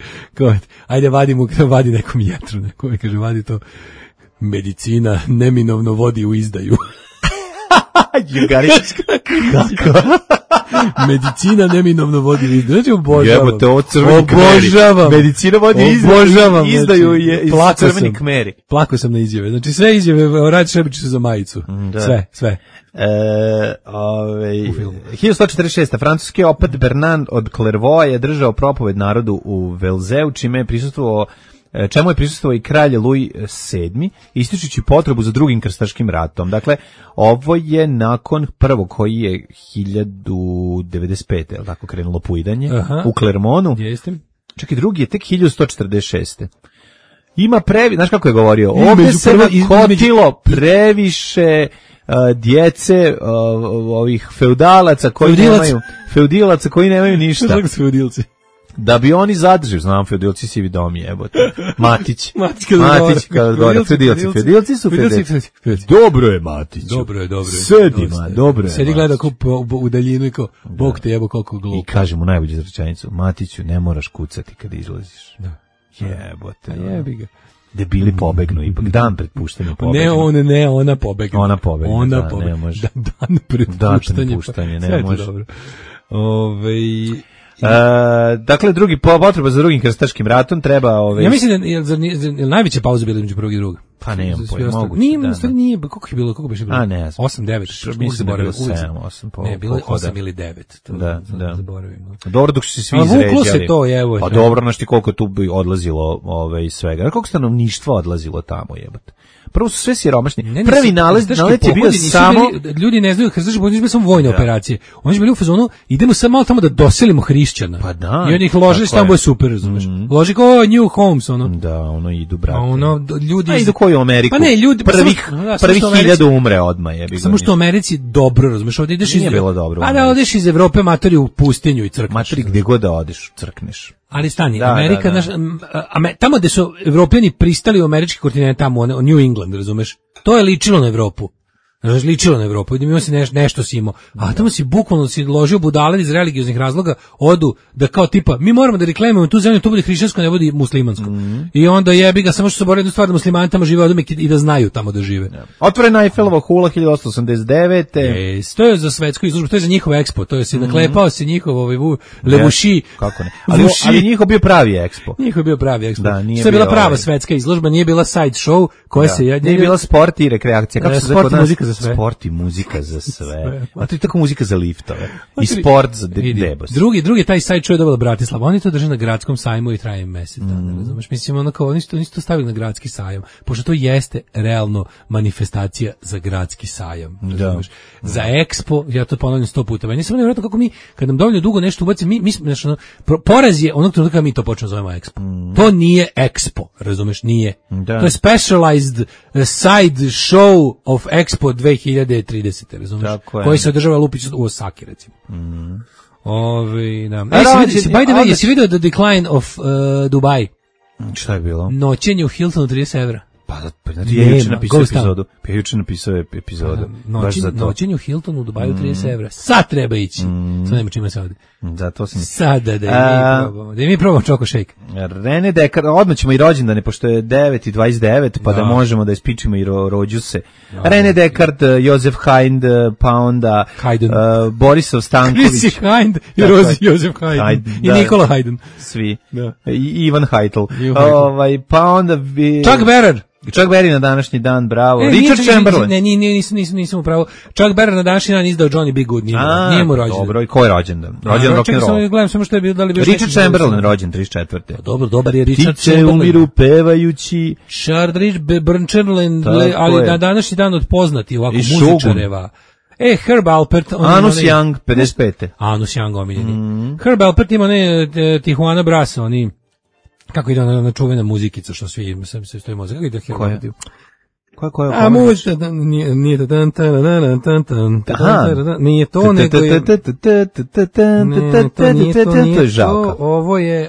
ajde vadi nekom jetru, neko mi kaže vadi to, medicina neminovno vodi u izdaju. Kako? Medicina neminovno vodi u izdaju. Znači obožavam. Jebote, ovo crveni kmeri. Medicina vodi izdaju je iz crveni kmeri. Plako sam na izjave. Znači sve izjave, radi Šebić za majicu. Sve. 1146. Francuski opet Bernard od Clairvaux je držao propoved narodu u Velzeu, čemu je prisustvovao i kralj Louis VII, ističući potrebu za drugim krstaškim ratom. Dakle, ovo je nakon prvog koji je 1095. je li tako krenulo pujdanje u Clermontu. Čak i drugi je tek 1146. Ima znaš kako je govorio? Ovdje se nakotilo previše djece ovih feudalaca koji nemaju ništa. Da bi oni zadržali, znam, feudilci sivi dom jebote. Matić kada gore, feudilci su feudilci. Dobro je Matić. Dobro je. Sedima, dobro je. Sedi gleda kao u daljinu i kao, Bog te jebo koliko glupo. I kaže mu najbolju rečenicu, Matiću, ne moraš kucati kad izlaziš. Da. Jebote. Jebi ga. Debili pobegnu, ipak dan pred puštanjem pobegnu. Ne, ona pobegnu. Ona pobegnu, ne može. Dan pred puštanjem, ne može. Dobro. Dakle, potreba za drugim krstaškim ratom treba... Ja mislim da je najveća pauza bila među prvog i drugog. Pa nemam pojma, moguće. Nije, koliko je bilo? 8, 9. Mislim da je bilo 7, 8. Ne, bilo je 8 ili 9. Da. Zaboravim. Dobro, dok su se svi izređali. Vuklo se to, evo. Pa dobro, znaš ti koliko tu bi odlazilo svega. Koliko stanovništva odlazilo tamo, jebate. Prvo su sve siromašni. Prvi nalet je bio samo... Ljudi ne znaju, krstaški pohodi bili samo vojne operacije. Oni su bili u fazonu, idemo sad malo tamo da doselimo hrišćana. Pa da. I oni ih ložili, tamo je super, razumeš. Loži kao New Homes, ono. Da, ono idu, brate. Ljudi... A idu koji u Ameriku. Pa ne, ljudi... Prvih 1000 umre odmah, jebi ga. Samo što u Americi dobro, razumeš, ovdje ideš iz... Nije bilo dobro. Pa da odeš iz Evrope, matori u pustinju i crkneš. Matori gdje god da odeš, crkneš. Ali stani, Amerika, tamo gde su Evropljani pristali u američki kontinent, tamo New England, razumeš? To je ličilo na Evropu. Ličilo na Evropu, idem imao si nešto si imao, a tamo si bukvalno si ložio budale iz religioznih razloga, odu da kao tipa, mi moramo da reklamujemo tu zemlju, to bude hrišćansko, ne bude muslimansko. I onda jebi ga, samo što se bori jednu stvar da muslimani tamo žive odome i da znaju tamo da žive. Otvorena Eiffelova hula 1889. To je za svetsku izložbu, to je za njihov ekspo, to je si naklepao si njihov levuši. Kako ne? Ali njihov bio pravi ekspo. Njihov bio pravi ekspo. Da, to je bila prava svetska izložba, nije bila side show, koja se nije bila sport i rekreacija, kako se sport i muzika za sve. Sport i muzika za sve. A to je tako muzika za liftove. I sport za debos. Drugi taj side show je dobila Bratislava. Oni to drže na gradskom sajmu i traje mesec dana. Razumeš? Mislim, onako, oni su to stavili na gradski sajam. Pošto to jeste realno manifestacija za gradski sajam. Razumeš? Za Expo, ja to ponavljam 100 puta. Meni samo nevjerojatno kako mi, kad nam dovoljno dugo nešto ubaci, mi smo, poraz je onog trenutka mi to počnemo zovemo Expo. To nije Expo, razumeš? Nije. To je specialized side show of Expo 2030, razumiješ? Koji se održava Lupić u Osaki, recimo. By the way, jesi vidio The Decline of Dubai? Šta je bilo? Noćenje u Hiltonu 30 evra. Pa znači, ja juče napisao epizodu. Noćenje u Hiltonu u Dubaju 30 evra. Sad treba ići. Sad nema čime se ovdje. Zato sam... Sada da mi probamo Choco Shake. René Descartes, odmah ćemo i rođendane, pošto je 9:29, pa da možemo da ispičimo i rođuse. René Descartes, Josef Haydn, pa onda Borisav Stanković. Chrissy Haydn i Josef Haydn. I Nikola Haydn. Svi. I Ivan Heitl. Pa onda... Chuck Berry. Chuck Berry na današnji dan, bravo. Richard Chamberlain. Ne, nisam upravo. Chuck Berry na današnji dan izdao Johnny B. Good, nije mu rođendan. Dobro, i ko je rođendan? Rođen rock'n'roll. Gledam samo što je bilo, da li bio Richard Chamberlain rođen 34. Dobar je Richard Chamberlain. Tiče umiru pevajući. Charles Bernstein, ali na današnji dan od poznati ovako muzičareva. Herb Alpert. Anus Young, 55. Anus Young, omiljeni. Herb Alpert ima Tijuana Brass, oni... Kako ide na čuvena muzikica, što svi se stoji mozak. Kako ide Herb Alpert? Koja? A možda nije to, nego je... To je žalka.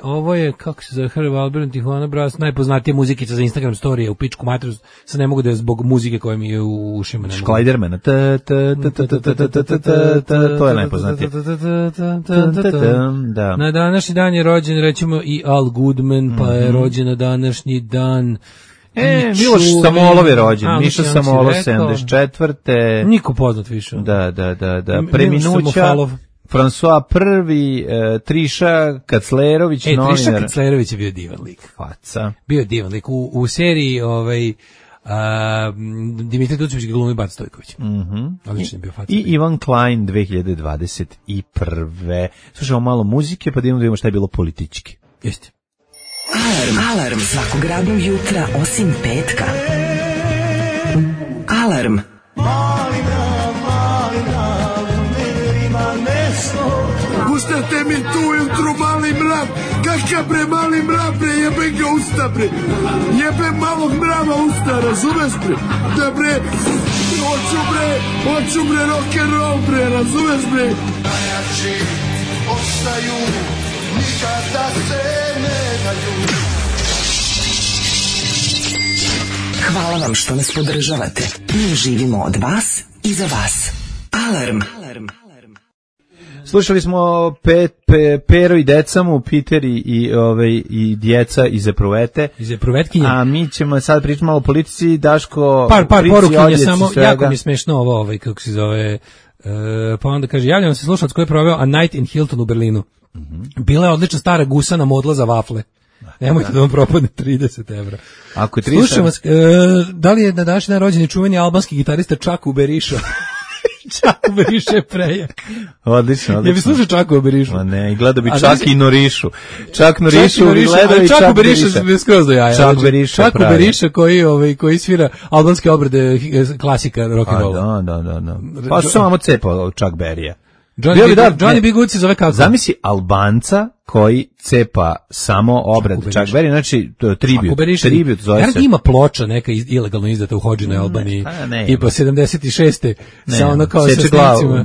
Ovo je, kako se zove, Herb Alpert, Tijuana Brass, najpoznatija muzikica za Instagram storije, u pičku materiju, sad ne mogu da je zbog muzike koja mi je u ušima. Šklajdermana. To je najpoznatije. Na današnji dan je rođen, rećemo, i Al Goodman, pa je rođen na današnji dan... Miloš Samolov je rođen, Miša Samolov 74. Niko poznat više. Da. Preminuća, François I, Triša Kaclerović, novinar. Triša Kaclerović je bio divan lik. Faca. Bio divan lik. U seriji Dimitrij Tucović glumi Bat Stojković. Odličan je bio faca. I Ivan Klein 2021. Slušamo malo muzike, pa da vidimo šta je bilo politički. Jeste. Alarm svakog radnog jutra osim petka. Alarm. Pustate mi tu ujutru mali mrav. Kakav bre mali mrav bre, jebem ga usta bre. Jebem malog mrava usta, razumeš bre? Da bre, Hoću bre rock'n'roll bre, razumeš bre? Najjači ostaju, nikada se ne daju. Hvala vam što nas podržavate. Mi živimo od vas i za vas. Alarm. Slušali smo Pero i decamu, Peter i djeca iz Epruvete. Iz Epruvetkinje. A mi ćemo sad pričati malo o politici, Daško... Par porukinja samo, jako mi je smešno ovo, kako se zove... pa onda kaže, javljam se slušalac koji je proveo A Night in Hilton u Berlinu. Bila je odlična stara gusana modla za vafle. Nemojte da vam propadne 30 evra. Ako je 30 Slušam vas, da li je na današnji dan rođen čuveni albanski gitarista Čaku Beriša? Čaku Beriša je prejak. Odlično. Ja bi slušao Čaku Berišu. Ma ne, gledao bi Čak i Norišu. Čak Norišu gledao i Čak Beriša. Čaku Beriša skroz do jaja. Čaku Beriša koji svira albanske obrade klasika rock'n'rolla. Da. Pa su samo cepao Čak Berija. Johnny B. Good se zove kako? Zamisli Albanca koji cepa samo obrad Čak Berija, znači tribut zove se. Ima ploča neka ilegalno izdata u Hodžinoj Albaniji i po 76. sa ono kao sa snimcima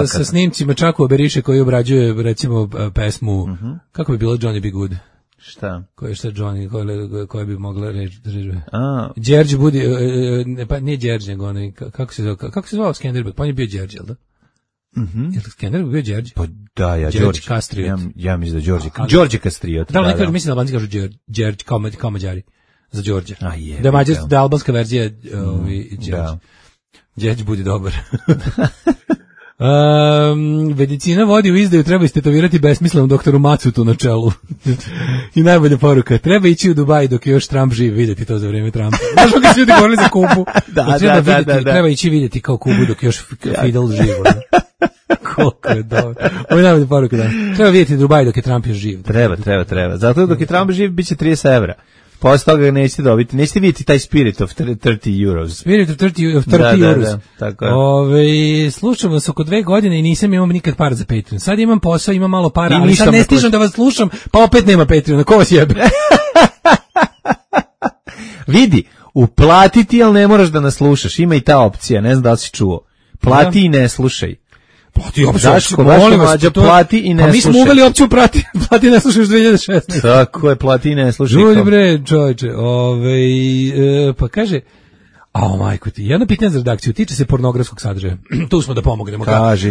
sa snimcima Čakova Beriše koji obrađuje recimo pesmu, kako bi bilo Johnny B. Good? Šta? Šta Johnny, koja bi mogla reći? Đerđe Budi, pa nije Đerđe, nego onaj, kako se zvao Skenderbeg, pa on je bio Đerđe, jel da? Je li Skenderbeg bio Đerđe? Pa da, Đorđe Kastriot. Ja mislim da Đorđe Kastriot. Da, kažu, mislim da Albanci kažu Đerđe, kao Mađari, za Đorđe. Da je albanska verzija Đerđe. Đerđe Budi dobar. Medicina vodi u izdaju, treba istetovirati besmislenom doktoru Macutu na čelu. I najbolja poruka, treba ići u Dubaj dok je još Trump živ, vidjeti to za vrijeme Trumpa. Znaš kako su ljudi govorili za Kubu? Treba ići vidjeti kao Kubu dok je još Fidel živ. Koliko je dobro. Ovo je najbolja poruka, da. Treba vidjeti Dubaj dok je Trump još živ. Treba. Zato dok je Trump živ, bit će 30 evra. Posle toga nećete dobiti, nećete vidjeti taj Spirit of 30 euros. Spirit of 30 euros. Da, tako je. Slušam vas oko 2 godine i nisam imao nikad para za Patreon. Sad imam posao, imam malo para, ali sad ne stižem da vas slušam, pa opet nema Patreona. Ko vas jebe? Vidi, uplatiti, ali ne moraš da nas slušaš. Ima i ta opcija, ne znam da li si čuo. Plati i ne slušaj. Plati i ne slušaj. Pa mi smo uveli opciju plati i ne slušaj još 2016. Tako je, plati i ne slušaj. Ljudi bre, čovječe, pa kaže, majko ti, jedno pitanje za redakciju, tiče se pornografskog sadržaja. Tu smo da pomognemo.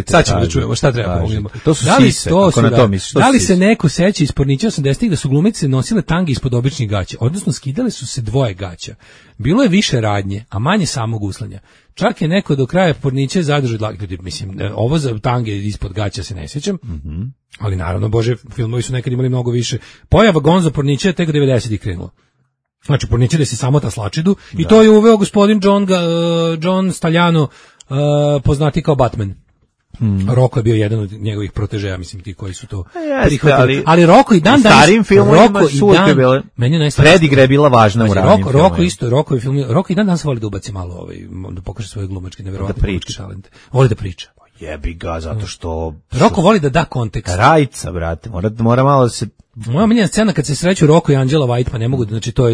Sad ćemo da čujemo šta treba pomognemo. To su sise, ako na to misliš. Da li se neko seća iz pornića 80-ih da su glumice nosile tange ispod običnih gaća, odnosno skidale su se dvoje gaća. Bilo je više radnje, a manje samog uslanja. Čak je neko do kraja porniće zadržao dlake. Mislim, ovo za tange ispod gaća se ne sjećam, ali naravno, bože, filmovi su nekad imali mnogo više. Pojava Gonzo pornića je tek 90-ih krenulo. Znači, porničili se samo ta slačidu i to je uveo gospodin John Staljano, poznati kao Batman. Roko je bio jedan od njegovih protežeja, mislim, ti koji su to prihvatili. Ali Roko i dan danas... Starim filmovima su uvijek bile... Predigre je bila važna u ranim filmovima. Roko i dan danas voli da ubaci malo, da pokaže svoje glumačke nevjerovatne glumačke talente. Voli da priča. Jebi ga, zato što... Roko voli da da kontekst. Rajca, brate, mora malo da se... Moja miljena scena kad se sreću Roko i Angela White, pa ne mogu, znači to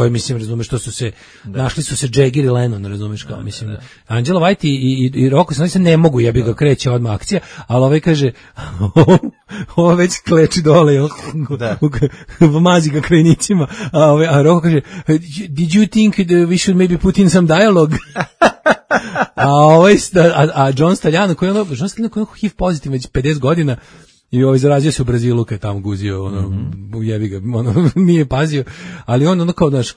je mislim, razumeš, što su se, našli su se Jagger i Lennon, razumeš, kao, mislim, Angela White i Roko se ne mogu, jebi ga, kreće odmah akcija, ali ovaj kaže, ovo već kleči dole, mazi ga krajnicima, a Roko kaže, did you think that we should maybe put in some dialogue? A John Staljano, koji je HIV pozitiv već 50 godina, i zarazio se u Brazilu kad je tamo guzio, jebi ga, nije pazio, ali on kao, znaš,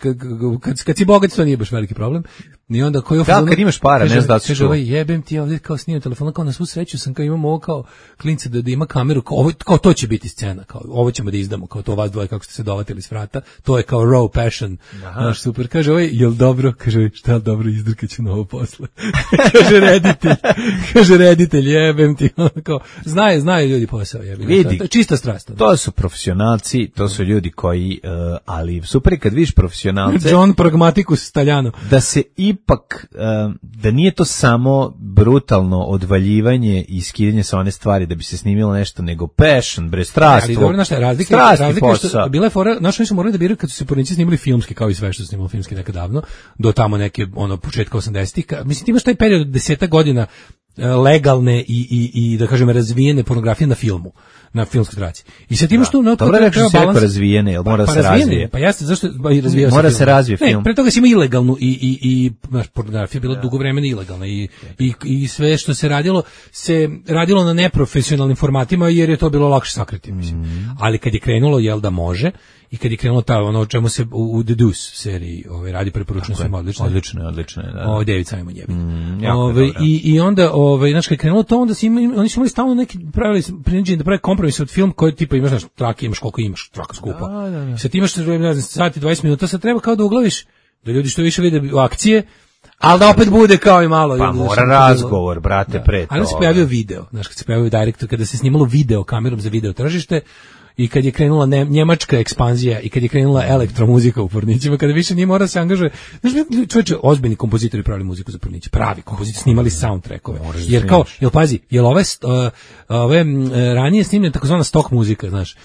kad si bogat, to nije baš veliki problem. I onda kad imaš para, ne znam da si čuo. Jebem ti, ovdje kao snimam telefon, kao na svu sreću sam kao imamo ovo kao klince da ima kameru, kao to će biti scena, kao ovo ćemo da izdamo, kao to vas dvoje kako ste se dovatili s vrata, to je kao raw passion, znaš, super. Kaže jel dobro? Kaže šta dobro, izdrkaću na ovo posle. Kaže reditelj, jebem ti, kao, znaju ljudi posao, jebem. Vidi, to je čista strast. To su profesionalci, to su ljudi koji, ali super kad vidiš profesionalce. John Pragmaticus Staljano. Da se i ipak da nije to samo brutalno odvaljivanje i skidanje sa one stvari da bi se snimilo nešto, nego passion, bre, strast. Ali dobro, znaš, razlika što bila je fora, naši su morali da biraju kad su se pornici snimali filmski, kao i sve što su snimali filmski nekad davno, do tamo neke, početka 80-ih. Mislim, ti imaš taj period 10 godina legalne i da kažem razvijene pornografije na filmu, na filmskoj traci. I sad imaš tu dobro rekao se jako razvijene, jel mora se razvije. Pa jeste, zašto razvijao se? Mora se razvije film. Ne, pre toga si imao ilegalnu i pornografija bila dugo vremena ilegalna i sve što se radilo na neprofesionalnim formatima jer je to bilo lakše sakriti, mislim. Ali kad je krenulo jel da može i kad je krenulo ono o čemu se u The Deuce seriji radi, preporučujem svima, odlično, da. David Simon jebi. I onda znači kad je krenulo to, onda oni su imali stalno neki pravili prinuđeni da prave kompromis od film koji tipa imaš znaš trake, imaš koliko imaš traka skupa. Sad imaš ne znam sat i 20 minuta, sad treba kao da uglaviš da ljudi što više vide akcije, ali da opet bude kao i malo. Pa mora razgovor, brate, pre to. Ali se pojavio video, znaš, kad se pojavio direkt, kada se snimalo video kamerom za video tržište, i kad je krenula njemačka ekspanzija i kad je krenula elektromuzika u pornićima, kada više nije mora se angažuje. Znaš, čovječe, ozbiljni kompozitori pravili muziku za porniće, pravi kompozitori, snimali soundtrackove. Jer pazi, ove ranije snimljene takozvana stock muzika, znaš,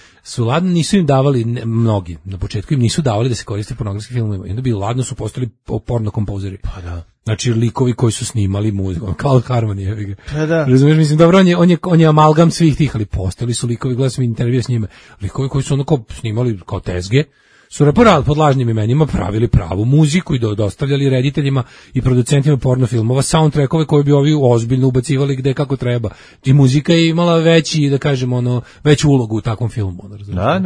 nisu im davali, mnogi na početku im nisu davali da se koriste pornografskim filmovima. I onda bi ladno su postali porno kompozeri. Pa da. Znači likovi koji su snimali muziku, kao Harmony, pa da. Razumiješ, mislim, dobro, on je amalgam svih tih, ali postali su likovi, gledam sam intervju s njima, likovi koji su onako snimali kao tezge, su pod lažnim imenima pravili pravu muziku i dostavljali rediteljima i producentima porno filmova soundtrackove koje bi ovi ozbiljno ubacivali gde kako treba. I muzika je imala veću ulogu u takvom filmu. Da.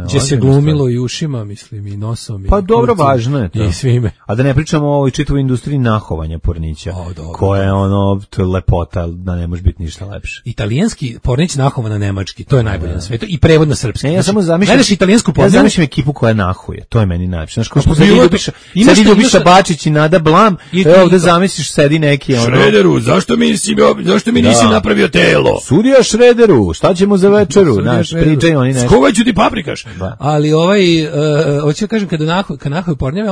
Gdje se glumilo i ušima, mislim, i nosom. Pa dobro, važno je to. I svime. A da ne pričamo o ovoj čitavoj industriji nahovanja pornića, koja je to je lepota, da ne može biti ništa lepše. Italijanski pornić nahovan na nemački, to je najbolje na svetu, i prevod na srpski. Ja samo zamišljam ekipu koja nahuje, to je meni najlepše. Znaš, kao što sad Ljubiša Bačić i Nada Blam, ovde zamisliš sedi neki Šrederu, zašto mi nisi napravio telo? Sudija Šrederu, šta ćemo za večeru? Znaš, pričaju oni nešto. Skovaću ti paprikaš. Ali hoću da kažem, kad nahuje pornjave,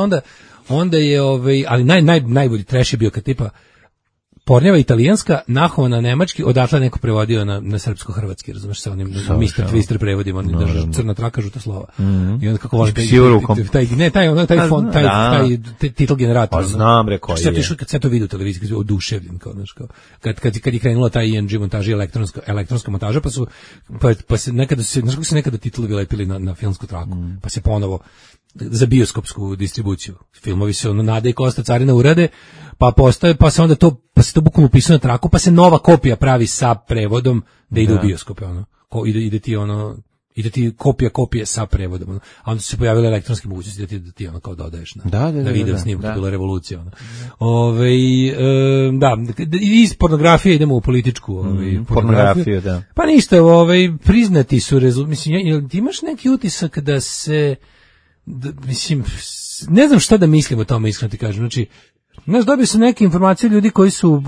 onda je, ali najbolji trash je bio kad tipa pornjava italijanska, nahovana nemački, odatle neko prevodio na srpsko-hrvatski, razumeš, sa onim Mr. Twister prevodima, oni drže crna traka, žuta slova. I onda kako volim taj font, taj titl generator. Pa znam, rekao je. Kad se to vidi u televiziji, oduševljen, kad je krenula taj ING montaža, elektronska montaža, pa se nekada se titlovi lepili na filmsku traku, pa se ponovo za bioskopsku distribuciju. Filmovi se Nada i Kosta Carina urade, pa se to bukvalno upisuje na traku, pa se nova kopija pravi sa prevodom da ide u bioskope, ide ti kopija sa prevodom, a onda su se pojavile elektronske mogućnosti da ti kao dodaješ na video snimku, to je bila revolucija. Iz pornografije idemo u političku pornografiju, da. Pa ništa, priznati su mislim, ti imaš neki utisak da se mislim, ne znam šta da mislim o tome, iskreno ti kažem. Znači, dobio sam neke informacije ljudi koji su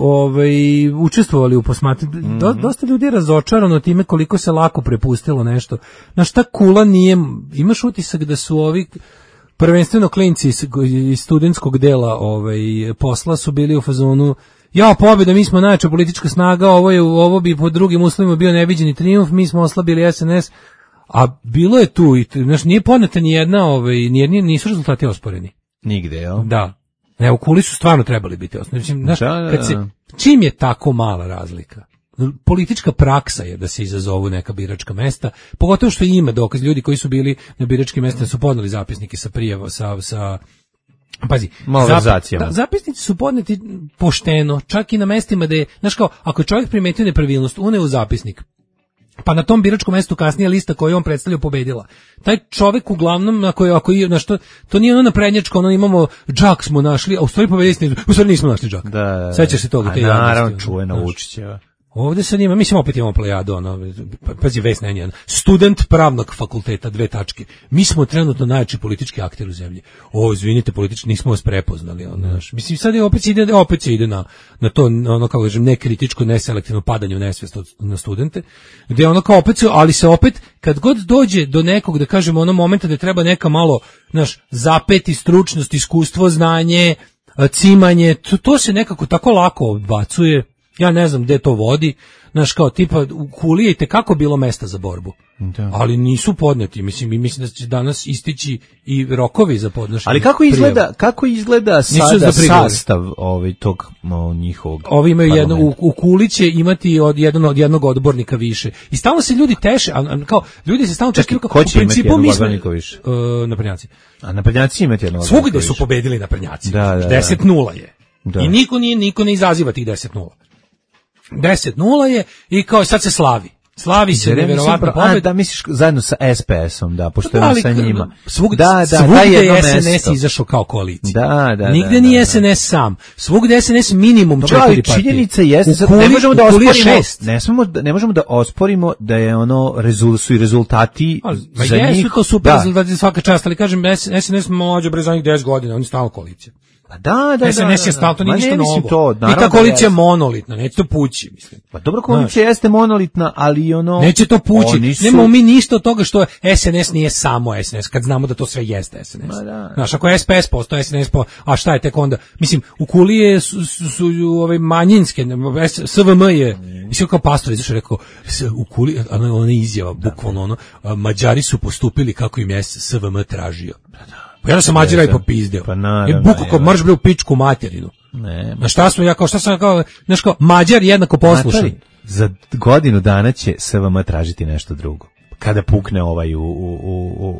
učestvovali u posmatranju. Dosta ljudi je razočarano time koliko se lako prepustilo nešto. Na šta kula nije, imaš utisak da su ovi prvenstveno klinci iz studentskog dela posla su bili u fazonu pobjeda, mi smo najjača politička snaga, ovo bi po drugim uslovima bio neviđeni trijumf, mi smo oslabili SNS. A bilo je tu, nije podneta ni jedna, nisu rezultati osporeni. Nigde, jel? Da. U kuli su stvarno trebali biti osporeni. Čim je tako mala razlika? Politička praksa je da se izazovu neka biračka mesta, pogotovo što ima dokaz, ljudi koji su bili na biračkim mestima su podneli zapisnike sa prijava, pazi, zapisnici su podneti pošteno, čak i na mestima da je, znaš kao, ako je čovjek primetio nepravilnost, une u zapisnik, pa na tom biračkom mestu kasnije lista koju on predstavlja pobedila. Taj čovjek uglavnom, to nije naprednjačko, imamo džak smo našli, a u stvari pobedili, u stvari nismo našli džak. Sećaš se toga? Naravno, čuvena Vučićeva. Ovdje sad mislim opet imamo plejadu, pazi, Vesna Enjan, student pravnog fakulteta, 2 tačke. Mi smo trenutno najjači politički akter u zemlji. Izvinite, politički nismo vas prepoznali. Mislim, sad opet se ide na to, kako kažem, nekritičko, neselektivno padanje u nesvijest na studente, gdje kao opet, ali se opet, kad god dođe do nekog, da kažemo, momenta da treba neka malo, zapeti stručnost, iskustvo, znanje, cimanje, to se nekako tako lako odbacuje. Ja ne znam gde to vodi, znaš, kao tipa u Kuli je kako bilo mesta za borbu. Da. Ali nisu podneti, mislim da će danas istići i rokovi za podnošenje. Ali kako izgleda sada sastav tog njihovog? Ovi imaju u Kuli će imati od jednog odbornika više. I stalno se ljudi teše, kao ljudi se stalno čekaju kao u principu mi smo više. Naprednjaci. A naprednjaci imaju jednog. Svugde su pobedili naprednjaci. 10-0 je. Da. I niko ne izaziva tih 10-0. 10-0 je i kao sad se slavi. Slavi se neverovatno pobeda. Da, misliš zajedno sa SPS-om, da, pošto je sa njima. Svugde je SNS izašao kao koalicija. Da. Nigde nije SNS sam. Svugde SNS minimum 4 partije. Činjenica jeste, ne možemo da osporimo da je su i rezultati za njih. Jesu to super rezultati svaka čast, ali kažem, SNS mlađe bre za njih 10 godina, oni stalno koalicija. Da. SNS je stalno, to nije ništa novo. I ta koalicija je monolitna, neće to pući, mislim. Pa dobro, koalicija jeste monolitna, ali neće to pući. Nemamo mi ništa od toga što SNS nije samo SNS, kad znamo da to sve jeste SNS. Znaš, ako je SPS postoje SNS, a šta je tek onda? Mislim, u Kuli su ove manjinske, SVM je, mislim kao pastor izašao rekao, u Kuli, ona izjava, bukvalno Mađari su postupili kako im je SVM tražio. Pa ja sam Mađara i popizdeo. Je buko kao marš bre u pičku materinu. Na šta sam kao Mađar jednako poslušan. Za godinu dana će SVM tražiti nešto drugo. Kada pukne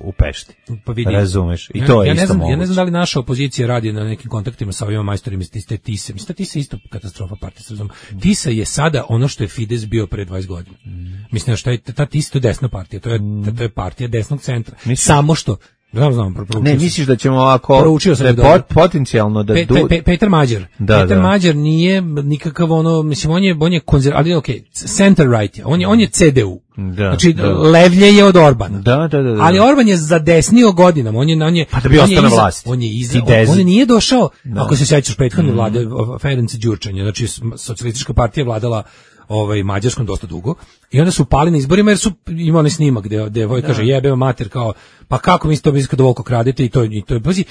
u Pešti. Pa vidi. Razumeš? I to je isto moguće. Ja ne znam da li naša opozicija radi na nekim kontaktima sa ovima majstorima iz te Tise. Mislim da Tisa je isto katastrofa partija. Tisa je sada ono što je Fides bio pre 20 godina. Mislim da je ta Tisa, to je desna partija. To je partija desnog centra. Samo što znam, ne, misliš da ćemo ovako potencijalno da Petar Mađar. Petar Mađar nije nikakav mislim on je ali center right je. On je CDU. Znači levlje je od Orbana. Ali Orban je zadesnio godinama. On je pa da bi ostao na vlasti. On nije došao, ako se sećaš prethodne vlade Ferenc Đurčanja, znači socijalistička partija vladala Mađarskom dosta dugo i onda su pali na izborima jer su imali snimak gde Voj kaže jebeo mater kao pa kako mislite da Volko kradete i to je pazi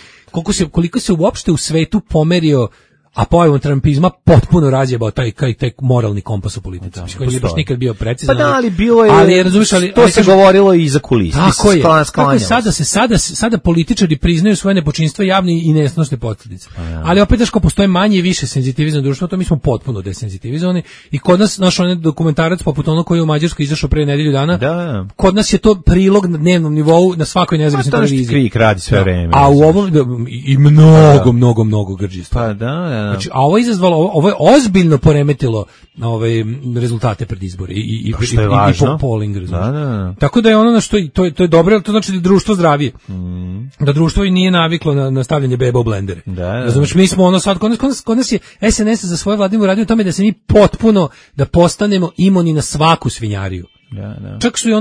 koliko se uopšte u svetu pomerio a pojavom trumpizma potpuno razjebao taj moralni kompas u politici. Koji nije baš nikad bio precizan. Pa da, ali bilo je, to se govorilo i za kulisi. Tako je, sada političari priznaju svoje nepočinstva javne i nesnosne posljedice. Ali opet daš ko postoje manje i više senzitivizam društva, to mi smo potpuno desenzitivizovani i kod nas, naš onaj dokumentarac poput onog koji je u Mađarskoj izašao pre nedelju dana, kod nas je to prilog na dnevnom nivou na svakoj nezavisnoj televiziji. Krik radi sve vreme. A u ovom i mnogo grđistva. Pa da. Znači, a ovo je izazvalo, ovo je ozbiljno poremetilo rezultate pred izbori i polling rezultate. Tako da je ono na što to je dobro, to znači da je društvo zdravije. Da društvo i nije naviklo na stavljanje beba u blendere. Razumeš, mi smo sad kod nas je SNS za svoje vladinu radio tome da se mi potpuno da postanemo imuni na svaku svinjariju. Čak su i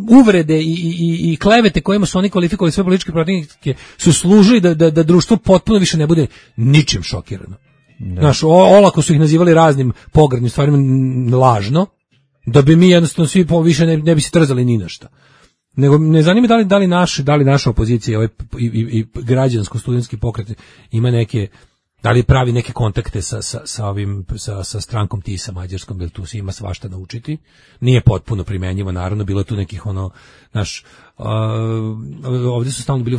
uvrede i klevete kojima su oni kvalifikovali sve političke protivnike su služili da društvo potpuno više ne bude ničim šokirano. Znaš, olako su ih nazivali raznim pogrdnim stvarima lažno, da bi mi jednostavno svi više ne bi se trzali ni na šta. Nego ne zanima da li naša opozicija i građansko-studentski pokret ima neke, da li pravi neke kontakte sa strankom Tisa mađarskom, jer tu se ima svašta naučiti. Nije potpuno primenjivo, naravno, bilo je tu nekih ovdje su stalno bili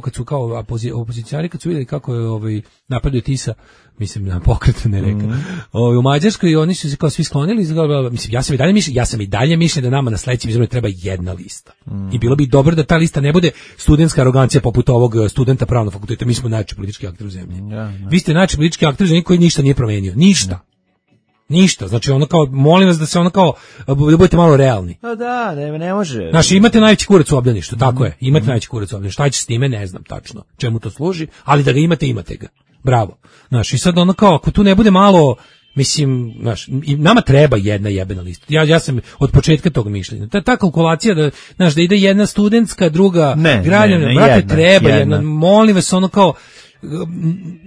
kad su kao opozicijari, kad su vidjeli kako je napadaju Tisa, mislim na pokret ne reka. U Mađarskoj oni su se kao svi sklonili, mislim ja sam i dalje mišljen da nama na sledećim izborima treba jedna lista. I bilo bi dobro da ta lista ne bude studentska arogancija poput ovog studenta pravnog fakulteta, mi smo najveći politički akter u zemlji. Vi ste najveći politički akter u zemlji koji ništa nije promenio, ništa, znači molim vas da se da budete malo realni. Da, ne može. Znači imate najveći kurac u obdaništu, tako je, imate najveći kurac u obdaništu, šta će s time, ne znam tačno čemu to služi, ali da ga imate ga, bravo. Znači i sad ako tu ne bude malo, mislim, i nama treba jedna jebena lista, ja sam od početka tog mišljenja, ta kalkulacija da ide jedna studentska, druga građana, brate, treba jedna, molim vas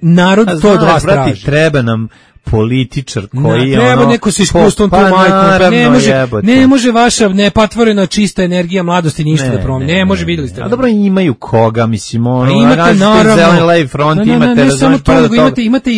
narod to od vas traži. Treba nam političar koji je treba neko sa iskustvom tu majku, ne može vaša nepatvorena čista energija mladosti ništa da promeni, ne može, videli ste. A dobro, imaju koga, mislim, imate naravno, Zeleni levi front, ne samo to, nego imate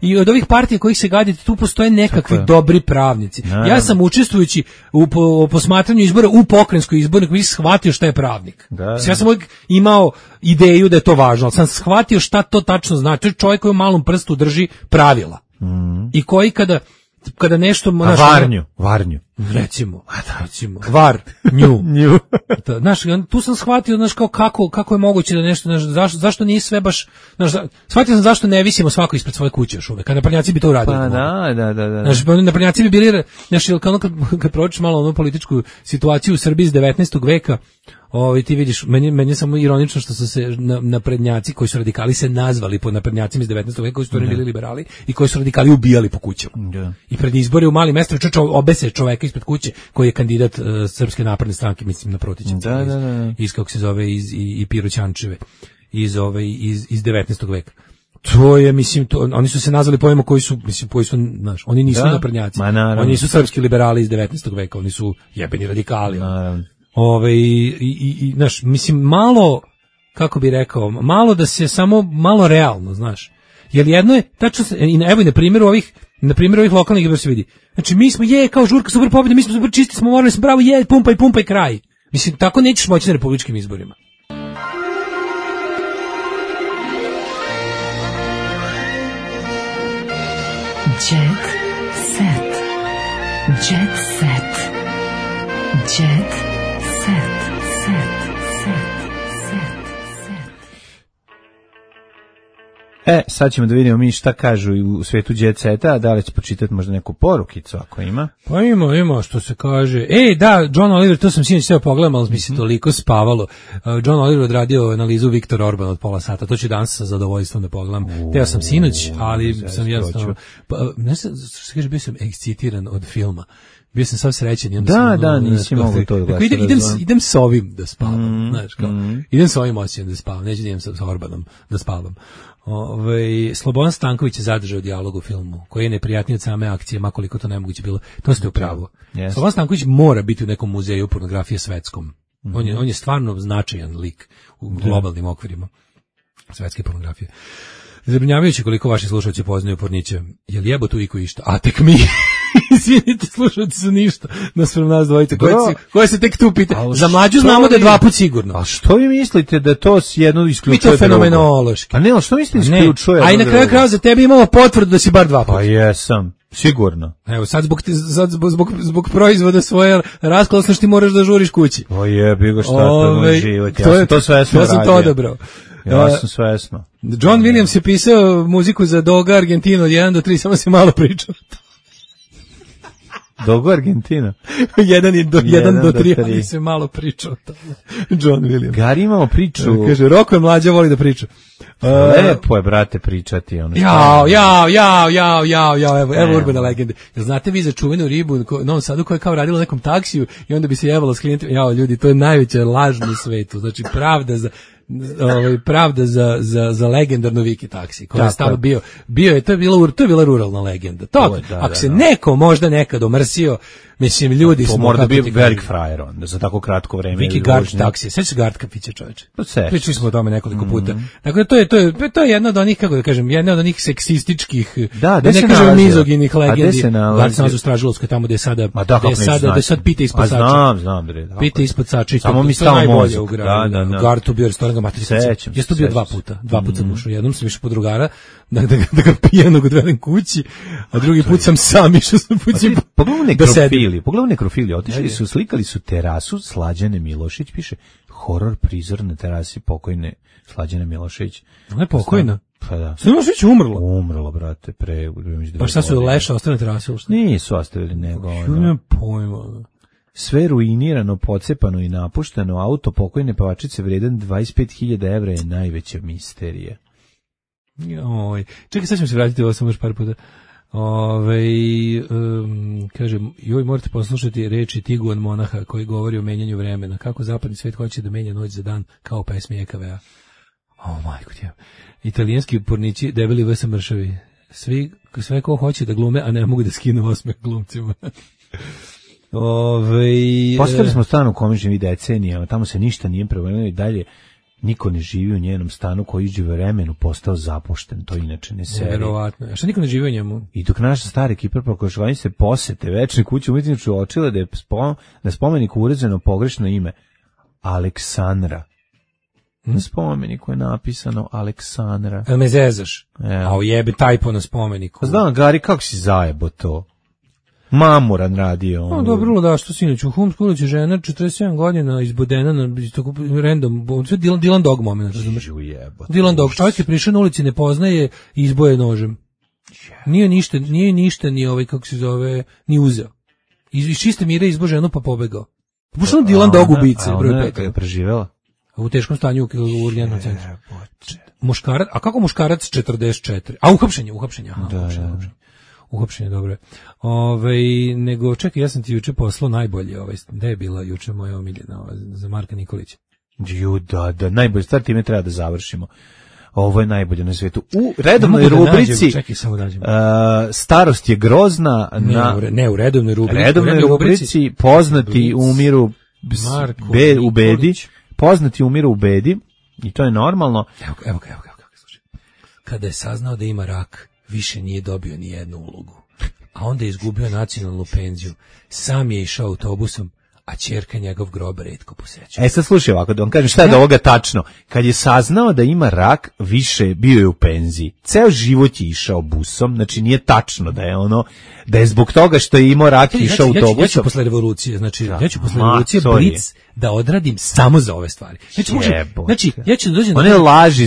i od ovih partija kojih se gadite, tu postoje nekakvi dobri pravnici. Ja sam učestvujući u posmatranju izbora u pokrajinskoj izbornoj komisiji shvatio šta je pravnik. Ja sam uvijek imao ideju da je to važno, ali sam shvatio šta to tačno znači. To je čovjek koji u malom prstu drži pravila. I koji kada nešto varnju recimo nju znaš, tu sam shvatio, znaš, kako je moguće da nešto, zašto nije sve baš, znaš, shvatio sam zašto ne visimo svako ispred svoje kuće još uvek, kada naprednjaci bi to uradili. Pa da. Znaš, naprednjaci bi bili, znaš, kad pročiš malo onu političku situaciju u Srbiji iz 19. veka, ti vidiš, meni je samo ironično što su se naprednjaci koji su radikali se nazvali po naprednjacima iz 19. veka, koji su bili liberali i koji su radikali ubijali po kućama. I pred izbore u malim mestima obese čoveka ispred kuće koji je kandidat Srpske napredne stranke, mislim na Protićevce. Iz kako se zove i Piroćančeve iz 19. veka. To je, mislim, oni su se nazvali pojmom koji su, znaš, oni nisu naprednjaci. Oni nisu srpski liberali iz 19. veka, oni su jebeni radikali. Znaš, mislim, malo, kako bi rekao, malo da se samo, malo realno, znaš. Jer jedno je, tačno, evo i na primjeru ovih lokalnih izbora se vidi. Znači, mi smo, kao žurka, super pobjede, mi smo super čisti, smo morali, smo bravo, pumpaj kraj. Mislim, tako nećeš moći na republičkim izborima. Jet set. Jet set. Jet set. Sad ćemo da vidimo mi šta kažu u svetu Jet Seta, a da li će počitati možda neku porukicu ako ima. Pa ima što se kaže. Da, John Oliver, to sam sinoć sve pogledam, ali mi se toliko spavalo. John Oliver odradio analizu Viktor Orban od pola sata, to ću danas sa zadovoljstvom da pogledam. Teo sam sinoć, ali sam jednostavno, ne znam, što se kaže, bio sam ekscitiran od filma. Bio sam sav srećen. Da, nisi mogu to da gledati. Idem s ovim da spavam, znaš, kao, idem s ovim osjećam da spavam, neću da idem sa Orbanom da spavam. Slobodan Stanković je zadržao dijalog u filmu, koji je neprijatniji od same akcije, makoliko to nemoguće bilo. To ste u pravu. Slobodan Stanković mora biti u nekom muzeju pornografije svetskom. On je stvarno značajan lik u globalnim okvirima svetske pornografije. Zabrinjavajući koliko vaši slušalci poznaju porniće. Jel jebo tu iko išta? A tek mi. Izvinite, slušalci su ništa naspram nas dvojice. Koje se tek tu pita? Za mlađu znamo da je 2 put sigurno. A što vi mislite da to jedno isključuje drugo? Mi to fenomenološki. A ne, što mislite isključuje? A i na kraju kraja za tebe imamo potvrdu da si bar 2 puta. Pa jesam. Sigurno. Evo, sad zbog proizvoda svoje rasklasnosti ti moraš da žuriš kući. O jebi ga, šta to moj život. Ja sam to svesno radio. Ja sam to odabrao. Ja sam svesno. John Williams je pisao muziku za Doga Argentinu od 1 do 3, samo se malo pričao. Dogo Argentina. 1 do 3, ali se malo pričao o tome. John Williams. Gari imamo priču. Kaže, Roko je mlađa, voli da priča. Lepo je, brate, pričati. Evo urbane legende. Znate vi za čuvenu ribu u Novom Sadu koja je kao radila u nekom taksiju i onda bi se jevala s klijentima. Ljudi, to je najveća laž na svetu. Znači, pravda za legendarnu Viki taksi koji je stalo bio je, to je bila ruralna legenda. To, ako se neko možda nekad omrsio, mislim, ljudi smo... To mora da bio velik frajer onda, za tako kratko vreme. Viki Gard taksije, sveći se Gard kafića, čoveče. Pričali smo o tome nekoliko puta. Dakle, to je jedna od onih, kako da kažem, jedna od onih seksističkih, da ne kažem mizoginih legendi. Gard se nalazi u Stražilovskoj, tamo gde je sada, da sad pita ispod sača. Znam. Pita ispod sača. Samo mi stalo mozak. Gard tu bio restoran Matrica. Jesi tu bio 2 puta. 2 puta sam ušao. Jednom sam išao po drugara, da ga pijanog odvedem kući, a drugi put sam išao sam kući. Pogledaj nekrofili, otišli su, slikali su terasu Slađane Milošić, piše horor prizor na terasi pokojne Slađane Milošić. Ona je pokojna? Pa da. Milošić umrla? Umrla, brate, Pa šta su leša, ostale terase? Nisu ostavili nego. Nema pojma. Sve ruinirano, pocepano i napušteno, auto pokojne pevačice vredan 25.000 evra je najveća misterija. Čekaj, sad ćemo se vratiti ovo samo još par puta. Kaže, morate poslušati reči Tiguan monaha koji govori o menjanju vremena. Kako zapadni svet hoće da menja noć za dan kao pesmi EKV-a. Majko ti. Italijanski pornići debeli vs mršavi. sve ko hoće da glume, a ne mogu da skinu osmeh glumcima. Postavili smo stan u kome živi decenijama, tamo se ništa nije promenilo i dalje niko ne živi u njenom stanu koji je u vremenu postao zapušten, to inače ne seri. Verovatno. A što niko ne živi u njemu? I dok naša stara ekipa pokušavaju se posete večne kuće umetnički uočila da je na spomeniku uređeno pogrešno ime Aleksandra. Na spomeniku je napisano Aleksandra. Me zezaš? A ujebe tajpo na spomeniku. Znam, Gari, kako si zajebo to? Mamuran radio. No, dobro, da, što sinoć u Humsku ulici žena 47 godina izbodena na tako random, sve Dylan Dog moment, razumeš? Dylan Dog, čovjek je prišao na ulici, ne poznaje i izboje nožem. Nije ništa ni ovaj, kako se zove, ni uzeo. Iz čiste mire izbo ženu pa pobegao. Pošto Dylan Dog ubice, broj 5. Je preživela? U teškom stanju u urgentnom centru. Muškarac, a kako muškarac 44? A uhapšenje. Uhapšenje, dobro. Nego, čekaj, ja sam ti juče poslao najbolje, gde je bila juče moja omiljena za Marka Nikolića? Da, najbolje stvar, time treba da završimo. Ovo je najbolje na svijetu. U redovnoj rubrici starost je grozna. Ne, u redovnoj rubrici. Redovnoj rubrici poznati umiru u bedi. Poznati umiru u bedi i to je normalno. Evo, slušaj. Kada je saznao da ima rak, više nije dobio ni jednu ulogu. A onda je izgubio nacionalnu penziju. Sam je išao autobusom, a ćerka njegov grob retko poseća. Sad slušaj ovako, da vam kažem šta je do ovoga tačno. Kad je saznao da ima rak, više bio je u penziji. Ceo život je išao busom, znači nije tačno da je zbog toga što je imao rak išao autobusom. Ja ću posle revolucije, Blic da odradim samo za ove stvari. Ja ću dođem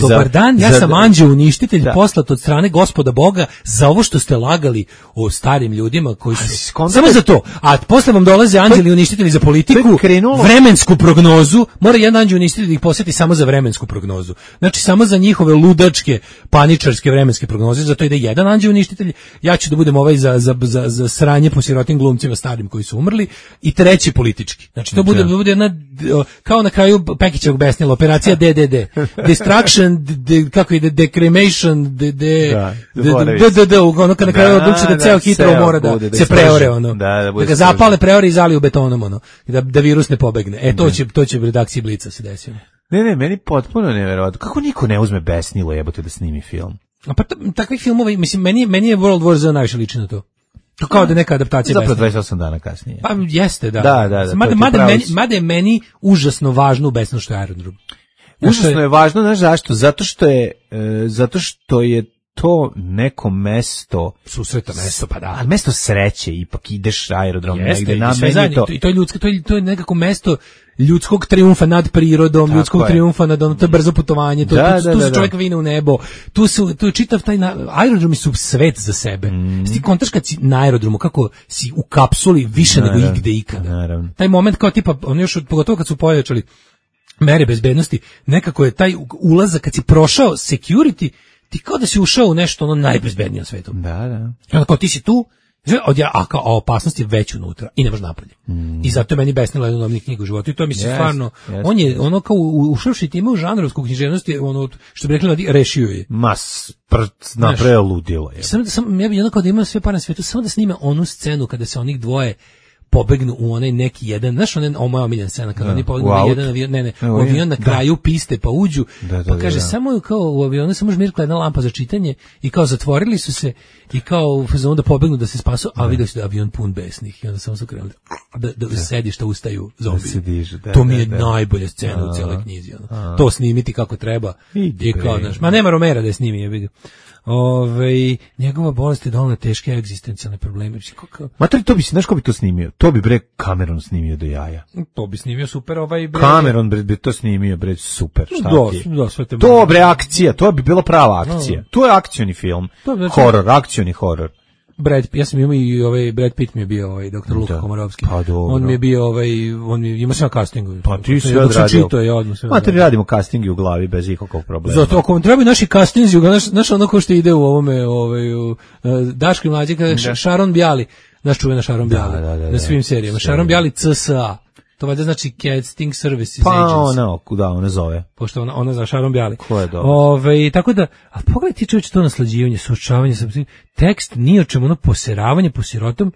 dobar dan, ja sam anđeo uništitelj poslat od strane Gospoda Boga za ovo što ste lagali o starim ljudima koji su samo za to. A posle vam dolaze anđeli uništitelji za politiku, vremensku prognozu, mora jedan anđeo uništitelj da ih posjeti samo za vremensku prognozu. Znači samo za njihove ludačke, paničarske vremenske prognoze, zato ide jedan anđeo uništitelj, ja ću da budem za sranje po sirotim glumcima starim koji su umrli i treći politički. Znači to bude jedna kao na kraju Pekićevog besnila, operacija DDD. Destruction, kako ide, decremation, ono kad na kraju odluči da ceo Hitler mora da se preore, da ga zapale, preore i zaliju betonom, da virus ne pobegne. To će u redakciji Blica se desiti. Ne, meni potpuno neverovatno. Kako niko ne uzme besnilo jebote da snimi film? Pa takvih filmova, mislim, meni je World War Z najviše liči na to. To kao da neka adaptacija zapravo 28 dana kasnije. Pa jeste, da. Da. Mada je meni užasno važno u besnu što je aerodrom. Užasno je važno, znaš zašto? Zato što je to neko mesto susreta mesto, pa da. Ali mesto sreće, ipak ideš aerodrom negde na meni to. I to je ljudsko, to je nekako mesto ljudskog trijumfa nad prirodom, ljudskog trijumfa nad to je brzo putovanje, tu se čovjek vine u nebo. Tu je čitav taj aerodromi su svet za sebe. Ti kontaš kad si na aerodromu kako si u kapsuli više nego igde ikada. Naravno. Taj moment kao tipa on još pogotovo kad su pojačali mere bezbednosti, nekako je taj ulazak kad si prošao security, ti kao da si ušao u nešto najbezbednije na svetu. Da. Onda kao ti si tu, a opasnost je već unutra i nemaš napolje. I zato je meni besnila jedna od knjiga u životu i to mi se stvarno, on je ono kao ušavši time u žanrovsku književnost, ono što bi rekli, rešio je. Napravio ludilo je. Ja bih jednako da ima sve par na svetu, samo da snime onu scenu kada se onih dvoje pobegnu u onaj neki jedan, znaš moja omiljena scena, kada oni pobegnu u jedan avion, u avion na kraju piste pa uđu, pa kaže samo kao u avionu samo žmirkla jedna lampa za čitanje i kao zatvorili su se i kao onda pobegnu da se spasu, a vidio se da avion pun besnih i onda samo su krenuli da sedišta ustaju zombi. To mi je najbolja scena u cijeloj knjizi. To snimiti kako treba i kao, znaš, ma nema Romera da je snimi, je vidio. Njegova bolest je donela teške egzistencijalne probleme. Materi, to bi se, znaš ko bi to snimio? To bi bre Cameron snimio do jaja. To bi snimio super Cameron bi to snimio bre super. Sve te to bre akcija, to bi bila prava akcija. To je akcioni film. Horor, akcioni horor. Ja sam imao i Brad Pitt mi je bio doktor Luka Komarovski. Pa dobro. On mi je bio on mi ima sve castingu. Pa ti sve odradio. Materi, radimo castingi u glavi bez ikakvog problema. Zato ako vam trebaju naši castinzi, znaš ono ko što ide u ovome Daško i Mlađe, Sharon Bjali, naš čuvena Sharon Bjali na svim serijama. Sharon Bjali CSA. To valjda znači Casting Services pa Agency. Ona zove. Pošto ona za Šarom Bjali. Ko je dobro. Tako da, a pogledaj ti čovječe to naslađivanje, suočavanje sa tekst, nije o čemu, ono poseravanje po sirotom,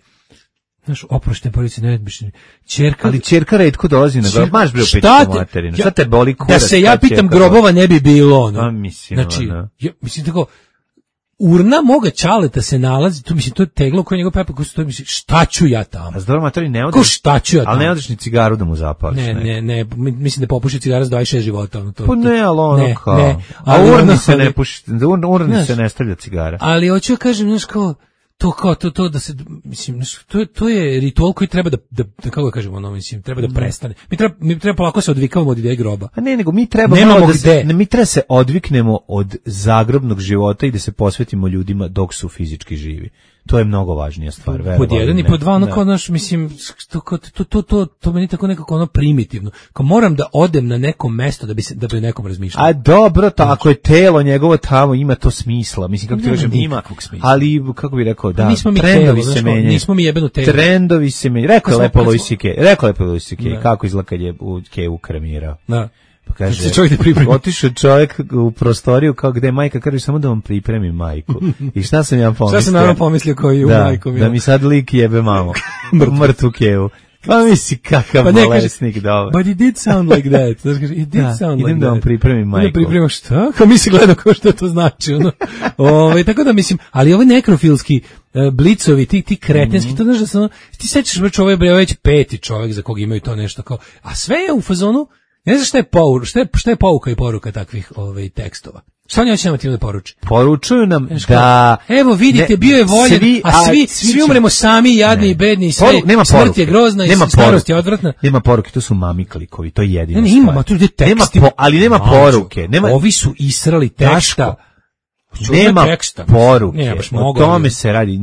znaš, oproštene porodice, neretbišne. Ćerka... Ali ćerka retko dolazi na grob, maš bre u pičku materinu, šta te boli kurac? Da se ja pitam, grobova ne bi bilo, ono. A mislim, znači, mislim tako, urna moga ćaleta se nalazi, tu mislim, to je teglo koje njegov pepa, koji stoji, mislim, šta ću ja tamo? A zdoro materi ne odeš, ko šta ću ja tamo? Ali ne odeš ni cigaru da mu zapališ. Ne, mislim da popuši cigara s 26 života. Ono, pa ne, ali ono kao. Ne, a urni se ne puši, urni se ne stavlja cigara. Ali hoću ja kažem, znaš kao, to da se, mislim, to je ritual koji treba da kako da kažemo, ono, mislim, treba da prestane. Mi treba polako se odvikavamo od ideje groba. A ne, nego mi treba mi treba se odviknemo od zagrobnog života i da se posvetimo ljudima dok su fizički živi. To je mnogo važnija stvar, verovali. Pod jedan i pod dva, ono kao naš, mislim, to meni tako nekako ono primitivno. Kao moram da odem na neko mesto da bi nekom razmišljao. A dobro, ako je telo njegovo tamo, ima to smisla. Mislim, kako ti kažem, ima, ali, kako bi rekao, da, trendovi se menjaju. Nismo mi jebeno telo. Trendovi se menjaju. Rekao je lepo Louis C.K. Kako izgleda kad je u Kevu kremirao. Da. Pa kaže, otišao čovjek u prostoriju kao gde je majka, kaže samo da vam pripremim majku. I šta sam ja pomislio? Šta sam naravno pomislio koji u majkom? Da mi sad lik jebe mamu. Mrtvu Kevu. Pa misli kakav bolesnik, dobro. But it did sound like that. It did sound like that. Idem da vam pripremim majku. Da pripremim šta? Kao mi se gledao kao što to znači. Tako da mislim, ali ovi nekrofilski blicovi, ti kretenski, to znaš da sam, ti sećaš već ovo je već 5. čovjek za kog imaju to nešto kao, a sve je u fazonu. Ne znam šta je pouka i poruka takvih tekstova. Šta oni hoće nama tim da poruči? Poručuju nam da... Evo vidite, bio je voljen, svi umremo sami, jadni i bedni i sve. Smrt je grozna i starost je odvratna. Nema poruke, to su mami klikovi, to je jedina stvar. Ima, tu je tekst. Ali nema poruke. Ovi su israli teksta. Nema poruke, o tome se radi.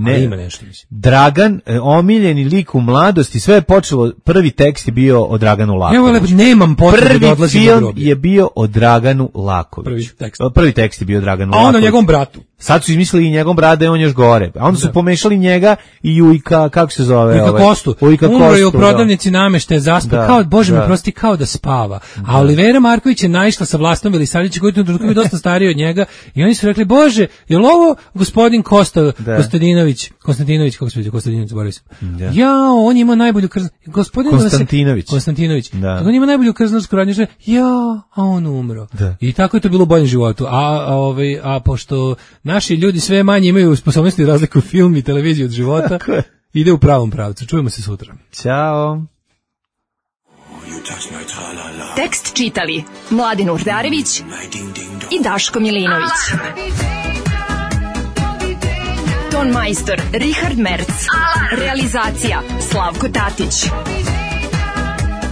Dragan, omiljeni lik u mladosti, sve je počelo, prvi tekst je bio o Draganu Lakoviću. Nemam potrebe da odlazim na groblje. Prvi film je bio o Draganu Lakoviću. Prvi tekst je bio Draganu Lakoviću. A onda njegovom bratu. Sad su izmislili i njegov brat da je on još gore. A onda su pomešali njega i Jujka, kako se zove? Jujka Kostu. Umro je u prodavnici nameštaja, zaspao. Kao, Bože mi prosti, kao da spava. A Olivera Marković je naišla sa Vlastom Velisavljevićem, koji je dosta stariji od njega. I oni su rekli, Bože, je li ovo gospodin Konstantinović, kako se vidi, Konstantinović, zaboravio sam. Jao, on ima najbolju Konstantinović. On ima najbolju krznarsku radnju. Jao, a on umro. I tako je to bilo u boljem životu. A pošto naši ljudi sve manje imaju sposobnosti da razliku film i televiziju od života, ide u pravom pravcu. Čujemo se sutra. Ćao. Tekst čitali Mladin Urdarević i Daško Milinović. Ton majstor Richard Merc. Realizacija Slavko Tatić.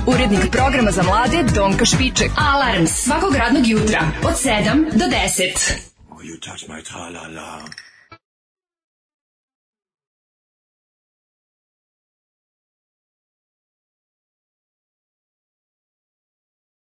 Urednik programa za mlade Donka Špiček. Alarms svakog radnog jutra od 7 do 10. You touch my tra-la-la.